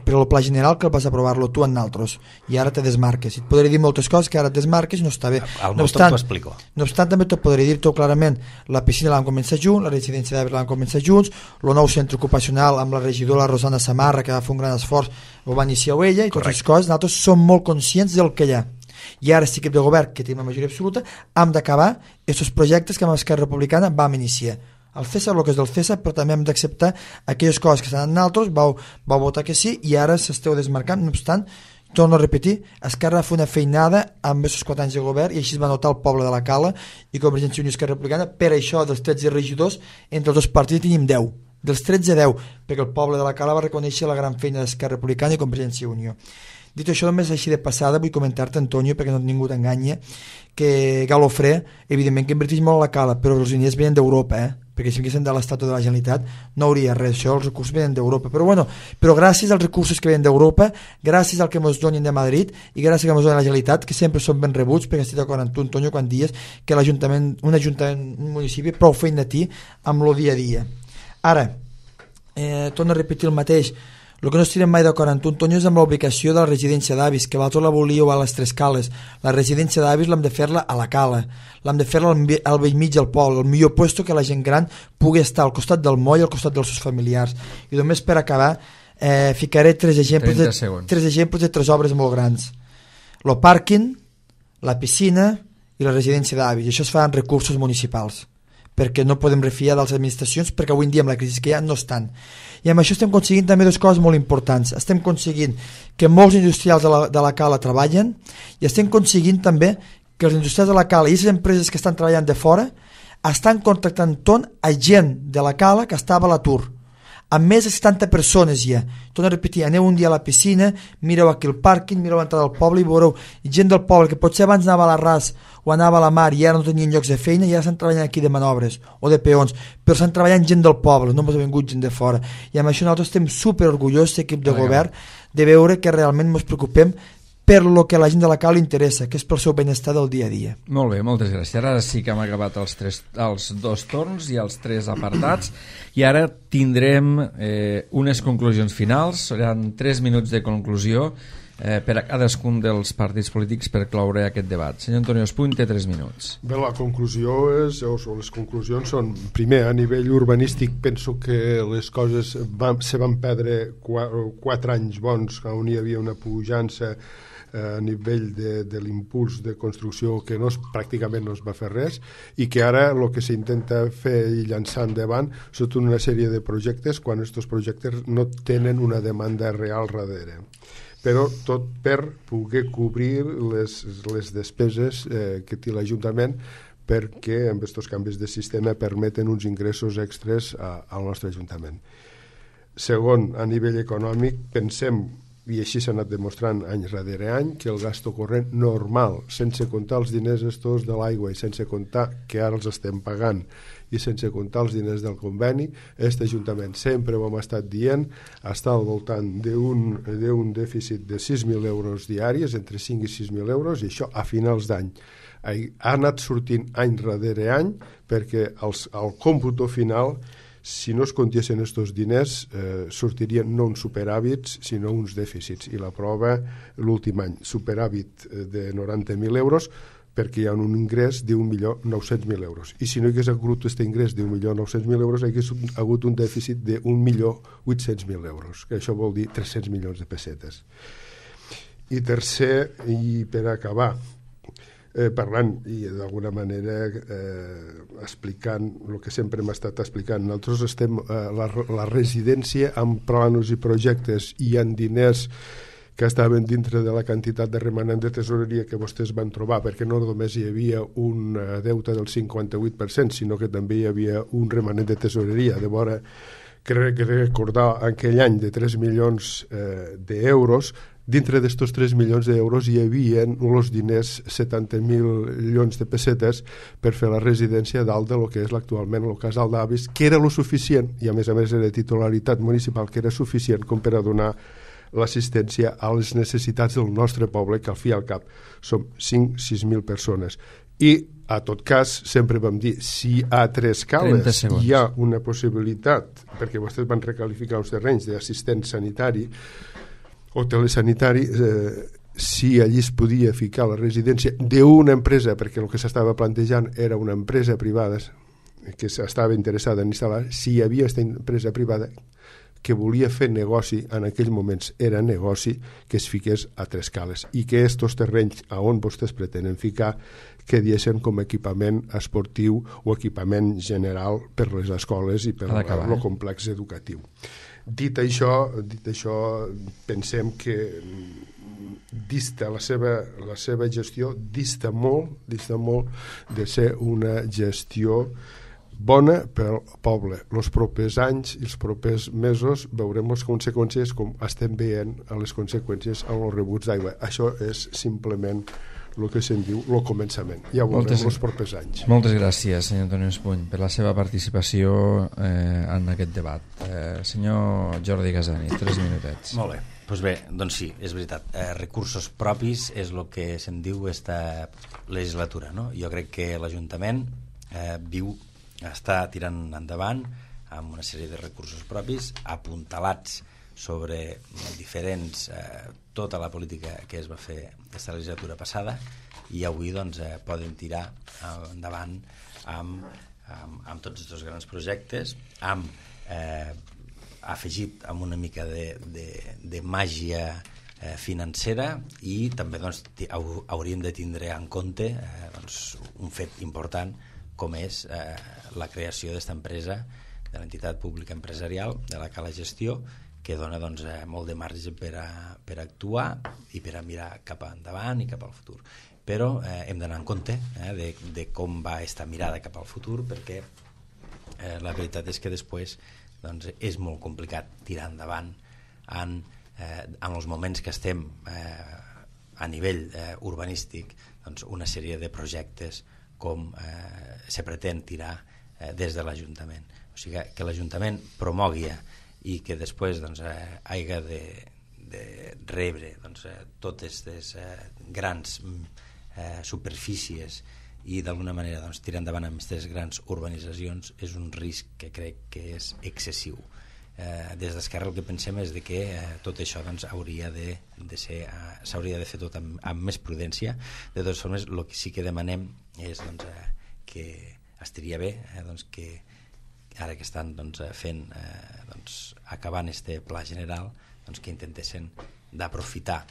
per el pla general que el vas aprovar-lo tu en nosaltres, i ara te desmarques, i et podré dir moltes coses que ara et desmarques i no està bé. Al no obstant, t'ho explico. No obstant, també t'ho podré dir-t'ho clarament, la piscina l'han començat junts, la residència d'avis l'han començat junts, el nou centre ocupacional amb la regidora Rosana Samarra, que va fer un gran esforç, ho va iniciar ella, i totes les coses, nosaltres som molt conscients del que hi ha. I ara, si equip de govern, que tenim la majoria absoluta, hem d'acabar aquests projectes que amb Esquerra Republicana vam iniciar. El César, el que és del César, però també hem d'acceptar aquelles coses que estan en altres, vau, vau votar que sí, i ara s'esteu desmarcant. No obstant, torno a repetir, Esquerra va fer una feinada amb aquests quatre anys de govern, i així es va notar el poble de la Cala, i Convergència i Unió i Esquerra Republicana. Per això, dels tretze regidors, entre els dos partits tenim deu. Dels tretze, deu, perquè el poble de la Cala va reconèixer la gran feina d'Esquerra Republicana i Convergència i Unió. Dit això, només així de passada, vull comentar-te, Antonio, perquè no ningú t'enganya, que Galofré, evidentment que inverteix molt a la Cala, però els diners venen d'Europa, eh? Perquè si vinguessin de l'Estat o de la Generalitat no hauria res, això, els recursos venen d'Europa. Però bueno, però gràcies als recursos que venen d'Europa, gràcies al que ens donin de Madrid i gràcies al que ens donen la Generalitat, que sempre són ben rebuts, perquè estic d'acord amb tu, Antonio, quan dies que l'Ajuntament, un Ajuntament, un municipi, prou feina a ti amb el dia a dia. Ara, eh, torno a repetir el mateix. El que no estirem mai d'acord amb tu, Antonio, és amb l'ubicació de la residència d'avis, que vosaltres la volíeu a les Tres Cales. La residència d'avis l'hem de fer-la a la Cala, l'hem de fer-la al, al vell mig del poble, el millor puesto que la gent gran pugui estar al costat del moll i al costat dels seus familiars. I només per acabar, eh, ficaré tres exemples, de, tres exemples de tres obres molt grans. el pàrquing, la piscina i la residència d'avis, i això es fa en recursos municipals, perquè no podem refiar de les administracions, perquè avui en dia amb la crisi que hi ha no estan. I amb això estem aconseguint també dues coses molt importants. Estem aconseguint que molts industrials de la, de la Cala treballen, i estem aconseguint també que els industrials de la Cala i les empreses que estan treballant de fora estan contractant ton a gent de la Cala que estava a l'atur, amb més de setanta persones ja. Torno a repetir, aneu un dia a la piscina, mireu aquí el pàrquing, mireu l'entrada del poble i veureu gent del poble que potser abans anava a la ras o anava a la mar i ara no tenien llocs de feina i ara estan treballant aquí de manobres o de peons, però estan treballant gent del poble, no ens ha vingut gent de fora. I amb això nosaltres estem super orgullosos, l'equip de govern, de veure que realment ens preocupem per lo que a la gent de la Cala li interessa, que és pel seu benestar del dia a dia. Molt bé, moltes gràcies. Ara sí que hem acabat els, tres, els dos torns i els tres apartats, i ara tindrem eh, unes conclusions finals. Seran tres minuts de conclusió eh, per a cadascun dels partits polítics per cloure aquest debat. Senyor Antonio Espuny té tres minuts. Bé, la conclusió és, o les conclusions són, primer, a nivell urbanístic penso que les coses van, se van perdre quatre, quatre anys bons on hi havia una pujança a nivell de, de l'impuls de construcció que no es, pràcticament no es va fer res, i que ara el que s'intenta fer i llançar endavant són tota una sèrie de projectes quan aquests projectes no tenen una demanda real darrere, però tot per poder cobrir les, les despeses eh, que té l'Ajuntament, perquè amb aquests canvis de sistema permeten uns ingressos extres a, al nostre Ajuntament. Segon, a nivell econòmic, pensem, i així s'ha anat demostrant any rere any, que el gasto corrent normal, sense comptar els diners estos de l'aigua i sense comptar que ara els estem pagant i sense comptar els diners del conveni, aquest Ajuntament, sempre ho hem estat dient, està al voltant d'un d'un dèficit de sis mil euros diaris, entre cinc i sis mil euros, i això a finals d'any. Ha anat sortint any rere any perquè els, el còmputo final, si no es comptessin aquests diners, eh, sortirien no uns superàvits, sinó uns dèficits. I la prova, l'últim any, superàvit de noranta mil euros, perquè hi ha un ingrés d'un milió nou-cents mil euros. I si no hi hagués hagut aquest ingrés d'un milió nou-cents mil euros, hi hagués hagut un dèficit d'un milió vuit-cents mil euros, que això vol dir tres-cents milions de pessetes. I tercer, i per acabar, Eh, parlant i d'alguna manera eh, explicant el que sempre hem estat explicant, nosaltres estem eh, la, la residència amb planos i projectes i en diners que estaven dintre de la quantitat de remanent de tesoreria que vostès van trobar, perquè no només hi havia un deute del cinquanta-vuit per cent, sinó que també hi havia un remanent de tesoreria. De vora que recordar aquell any de tres milions eh, d'euros, dintre d'estos tres milions d'euros hi havia els diners setanta mil milions de pessetes per fer la residència dalt de lo que és actualment el casal d'avis, que era lo suficient, i a més a més era titularitat municipal, que era suficient com per a donar l'assistència a les necessitats del nostre poble, que al fi i al cap som cinc a sis mil persones. I, a tot cas, sempre vam dir, si a Tres Cales hi ha una possibilitat, perquè vostès van recalificar uns terrenys d'assistent sanitari o telesanitari, eh, si allí es podia ficar la residència d'una empresa, perquè el que s'estava plantejant era una empresa privada que estava interessada en instal·lar, si hi havia aquesta empresa privada que volia fer negoci, en aquells moments era negoci, que es fiqués a Tres Cales, i que estos terrenys a on vostès pretenen ficar quedessin com equipament esportiu o equipament general per les escoles i per el complex educatiu. Dit això, dit això, pensem que dista la seva, la seva gestió dista molt, dista molt de ser una gestió bona pel poble. Els propers anys i els propers mesos veurem les conseqüències com estem veient a les conseqüències en els rebuts d'aigua. Això és simplement el que se'n diu el començament. Ja ho veurem els propers anys. Moltes gràcies, senyor Antonio Espuny, per la seva participació eh, en aquest debat. Eh, senyor Jordi Gasani, tres minutets. Molt bé. Pues bé, doncs sí, és veritat. Eh, recursos propis és el que se'n diu esta legislatura, no? Jo crec que l'Ajuntament eh, viu, està tirant endavant amb una sèrie de recursos propis apuntalats sobre diferents, eh, tota la política que es va fer aquesta legislatura passada, i avui doncs, eh, poden tirar endavant amb, amb, amb tots aquests grans projectes, amb eh, afegit amb una mica de, de, de màgia eh, financera, i també doncs, hauríem de tindre en compte eh, doncs, un fet important com és eh, la creació d'esta empresa, de l'entitat pública empresarial, de la Cala Gestió, que dona doncs, eh, molt de marge per a, per a actuar i per a mirar cap endavant i cap al futur. Però eh, hem d'anar en compte eh, de, de com va aquesta mirada cap al futur, perquè eh, la veritat és que després doncs, és molt complicat tirar endavant en, eh, en els moments que estem eh, a nivell eh, urbanístic, doncs, una sèrie de projectes com eh, se pretén tirar eh, des de l'Ajuntament. O sigui que, que l'Ajuntament promogui i que després doncs, eh, hagi de, de rebre doncs, eh, totes les eh, grans eh, superfícies i d'alguna manera doncs, tirar endavant amb aquestes grans urbanitzacions és un risc que crec que és excessiu. Eh, des d'Esquerra el que pensem és de que eh, tot això doncs, hauria de, de ser, eh, s'hauria de fer tot amb, amb més prudència. De totes formes, el que sí que demanem és doncs, eh, que estaria bé eh, doncs, que ara que estan doncs, fent eh, doncs, acabant este pla general, doncs, que intentessin d'aprofitar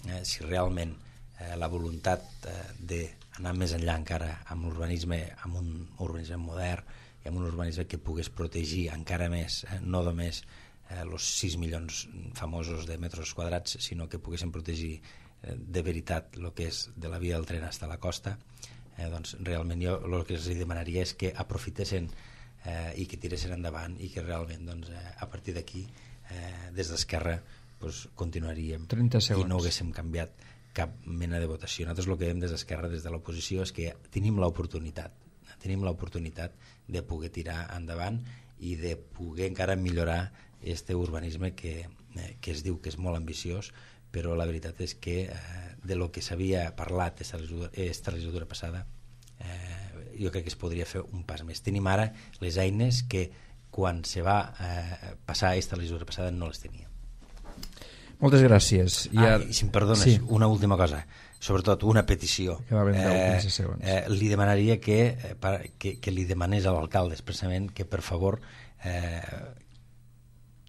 eh, si realment eh, la voluntat eh, d'anar més enllà encara amb l'urbanisme, amb un urbanisme modern i amb un urbanisme que pogués protegir encara més, eh, no només els eh, sis milions famosos de metres quadrats, sinó que poguessin protegir eh, de veritat el que és de la via del tren fins a la costa. Eh, doncs, realment jo el que els demanaria és que aprofitessin eh, i que tiressin endavant i que realment doncs, eh, a partir d'aquí eh, des d'Esquerra doncs, continuaríem i no haguéssim canviat cap mena de votació. Nosaltres el que veiem des d'Esquerra, des de l'oposició, és que tenim l'oportunitat tenim l'oportunitat de poder tirar endavant i de poder encara millorar este urbanisme que, eh, que es diu que és molt ambiciós, però la veritat és que eh, de lo que s'havia parlat esta legislatura, esta legislatura passada eh, jo crec que es podria fer un pas més. Tenim ara les eines que quan se va eh, passar esta legislatura passada no les tenia. Moltes gràcies. I ah, ara... i si em perdones, sí. Una última cosa, sobretot una petició. Eh, eh, li demanaria que, eh, que, que li demanés a l'alcalde expressament que per favor eh,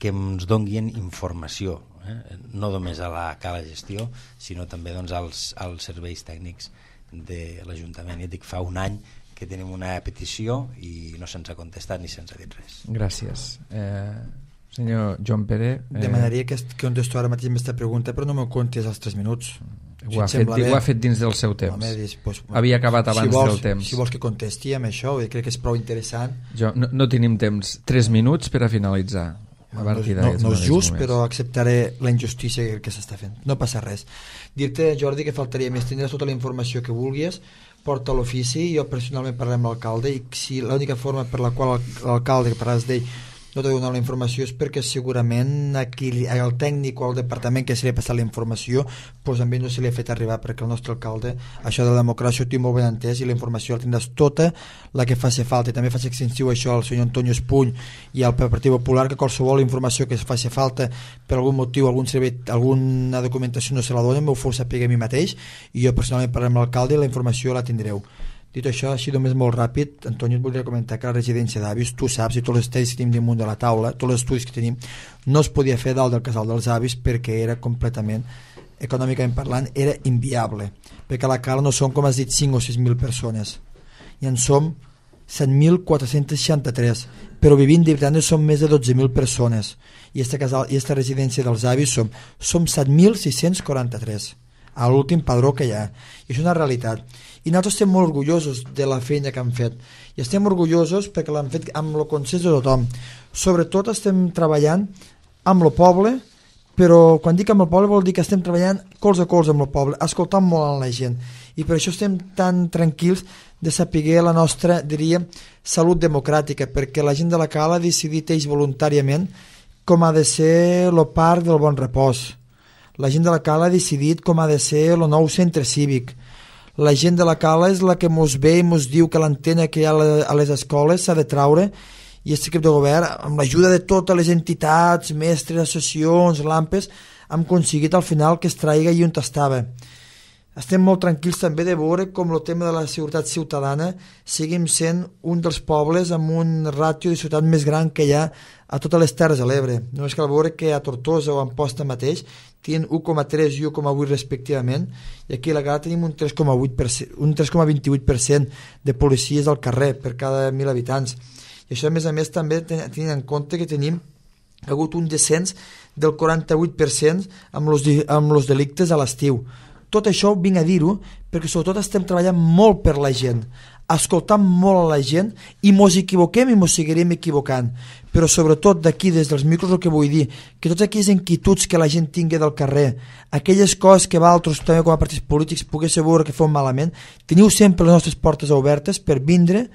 que ens donguin informació, eh? no només a la Cala Gestió, sinó també doncs, als, als serveis tècnics de l'Ajuntament. Ja dic, fa un any que tenim una petició i no se'ns ha contestat ni se'ns ha dit res. Gràcies. Eh, senyor Joan Pere... Eh... Demanaria que, que contesto ara mateix aquesta pregunta, però no m'ho contes als tres minuts. Ho ha, fet, ho ha fet dins del seu temps. Home, dis, pues, havia acabat abans si vols, del temps. Si vols que contesti amb això, crec que és prou interessant. Jo, no, no tenim temps. Tres minuts per a finalitzar. A no, no, no és just, moments. Però acceptaré la injustícia que s'està fent. No passa res. Dir-te, Jordi, que faltaria més. Tindràs tota la informació que vulguis, porta l'ofici, jo personalment parlaré amb l'alcalde, i si l'única forma per la qual l'alcalde, que parlaràs d'ell, no t'ha donat la informació és perquè segurament aquí el tècnic o el departament que se li ha passat la informació doncs a ell no se li ha fet arribar, perquè el nostre alcalde això de la democràcia ho té molt ben entès i la informació la tindràs tota la que faci falta. I també faig extensiu això al senyor Antonio Espuny i al Partit Popular, que qualsevol informació que faci falta per algun motiu, algun servei, alguna documentació no se la donen, m'ho fos saber a mi mateix i jo personalment parlaré amb l'alcalde i la informació la tindreu. Dit això, així només molt ràpid, Antoni, et voldria comentar que la residència d'avis, tu saps, i tots els estudis que tenim damunt de la taula, tots els estudis que tenim, no es podia fer dalt del casal dels avis perquè era completament, econòmicament parlant, era inviable, perquè a la Cala no són, com has dit, cinc o sis mil persones, i en som set mil quatre-cents seixanta-tres, però vivint de veritat som més de dotze mil persones, i esta, casal, i esta residència dels avis som, som set mil sis-cents quaranta-tres, a l'últim padró que hi ha, i això és una realitat. I nosaltres estem molt orgullosos de la feina que han fet i estem orgullosos perquè l'han fet amb el consens de tothom. Sobretot estem treballant amb el poble, però quan dic amb el poble vol dir que estem treballant colze a colze amb el poble, escoltant molt a la gent, i per això estem tan tranquils de saber la nostra, diria, salut democràtica, perquè la gent de la Cala ha decidit ells voluntàriament com ha de ser el parc del Bon Repòs. La gent de la Cala ha decidit com ha de ser el nou centre cívic. La gent de la Cala és la que mos ve i mos diu que l'antena que hi ha a les escoles s'ha de traure, i aquest equip de govern, amb l'ajuda de totes les entitats, mestres, associacions, l'AMPES, hem aconseguit al final que es traigui i on estava. estem molt tranquils també de veure com el tema de la seguretat ciutadana seguim sent un dels pobles amb un ràtio de ciutat més gran que hi ha a totes les Terres de l'Ebre. Només cal veure que a Tortosa o a Amposta mateix tenen u coma tres i u coma vuit respectivament, i aquí a la Gala tenim un tres coma vint-i-vuit per cent de policies al carrer per cada mil habitants. I això a més a més també tenint en compte que tenim ha hagut un descens del quaranta-vuit per cent amb els amb els delictes a l'estiu. Tot això ho vinc a dir-ho perquè sobretot estem treballant molt per la gent, escoltant molt a la gent, i mos equivoquem i mos seguirem equivocant, però sobretot d'aquí des dels micros el que vull dir, que totes aquelles inquietuds que la gent tingui del carrer, aquelles coses que vosaltres també com a partits polítics poguéssiu veure que fem malament, teniu sempre les nostres portes obertes per vindre,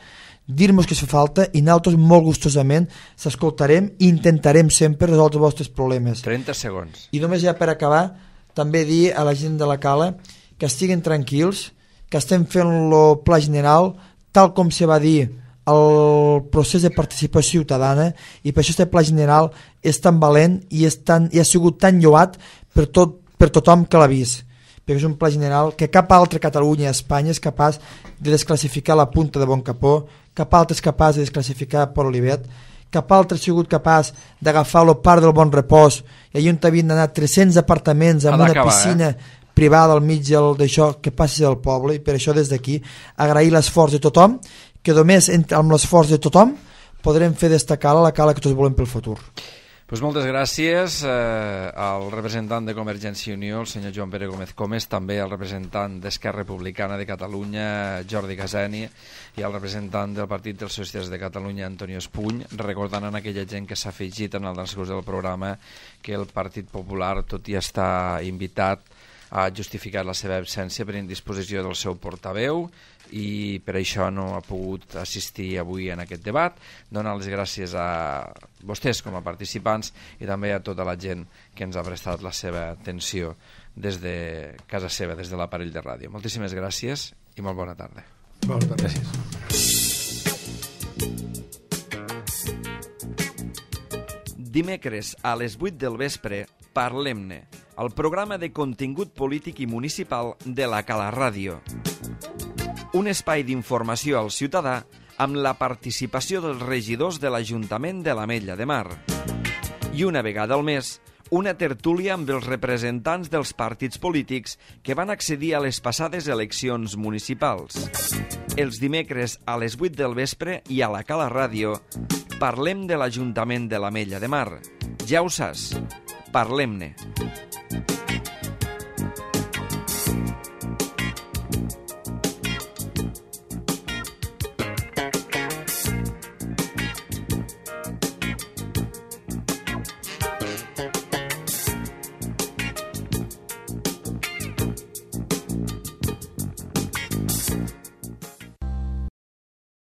dir-nos que fa falta, i nosaltres molt gustosament s'escoltarem i intentarem sempre resoldre els vostres problemes. trenta segons. I només ja per acabar, també dir a la gent de la Cala que estiguin tranquils, que estem fent el pla general tal com se va dir el procés de participació ciutadana, i per això aquest pla general és tan valent i, és tan, i ha sigut tan lloat per, tot, per tothom que l'ha vist, perquè és un pla general que cap altra Catalunya a Espanya és capaç de desclassificar la Punta de Boncapó, cap altre és capaç de desclassificar Port Olivet, cap altre ha sigut capaç d'agafar el parc del Bon Repòs, i allà on havien d'anar tres-cents apartaments amb una piscina eh? privada al mig d'això, que passi del poble. I per això des d'aquí agrair l'esforç de tothom, que només amb l'esforç de tothom podrem fer destacar la Cala que tots volem pel futur. Pues moltes gràcies eh, al representant de Convergència i Unió, el senyor Joan Pere Gómez Comes, també al representant d'Esquerra Republicana de Catalunya, Jordi Caseni, i al representant del Partit dels Socialistes de Catalunya, Antonio Espuny, recordant a aquella gent que s'ha afegit en el transcurs del programa que el Partit Popular, tot i estar invitat, ha justificat la seva absència per indisposició del seu portaveu, i per això no ha pogut assistir avui en aquest debat. Donar les gràcies a vostès com a participants i també a tota la gent que ens ha prestat la seva atenció des de casa seva, des de l'aparell de ràdio. Moltíssimes gràcies i molt bona tarda. Bona tarda. Gràcies. Dimecres a les vuit del vespre, Parlem-ne, el programa de contingut polític i municipal de la Cala Ràdio. Un espai d'informació al ciutadà amb la participació dels regidors de l'Ajuntament de l'Ametlla de Mar. I una vegada al mes, una tertúlia amb els representants dels partits polítics que van accedir a les passades eleccions municipals. Els dimecres a les vuit del vespre i a la Cala Ràdio parlem de l'Ajuntament de l'Ametlla de Mar. Ja ho saps, parlem-ne.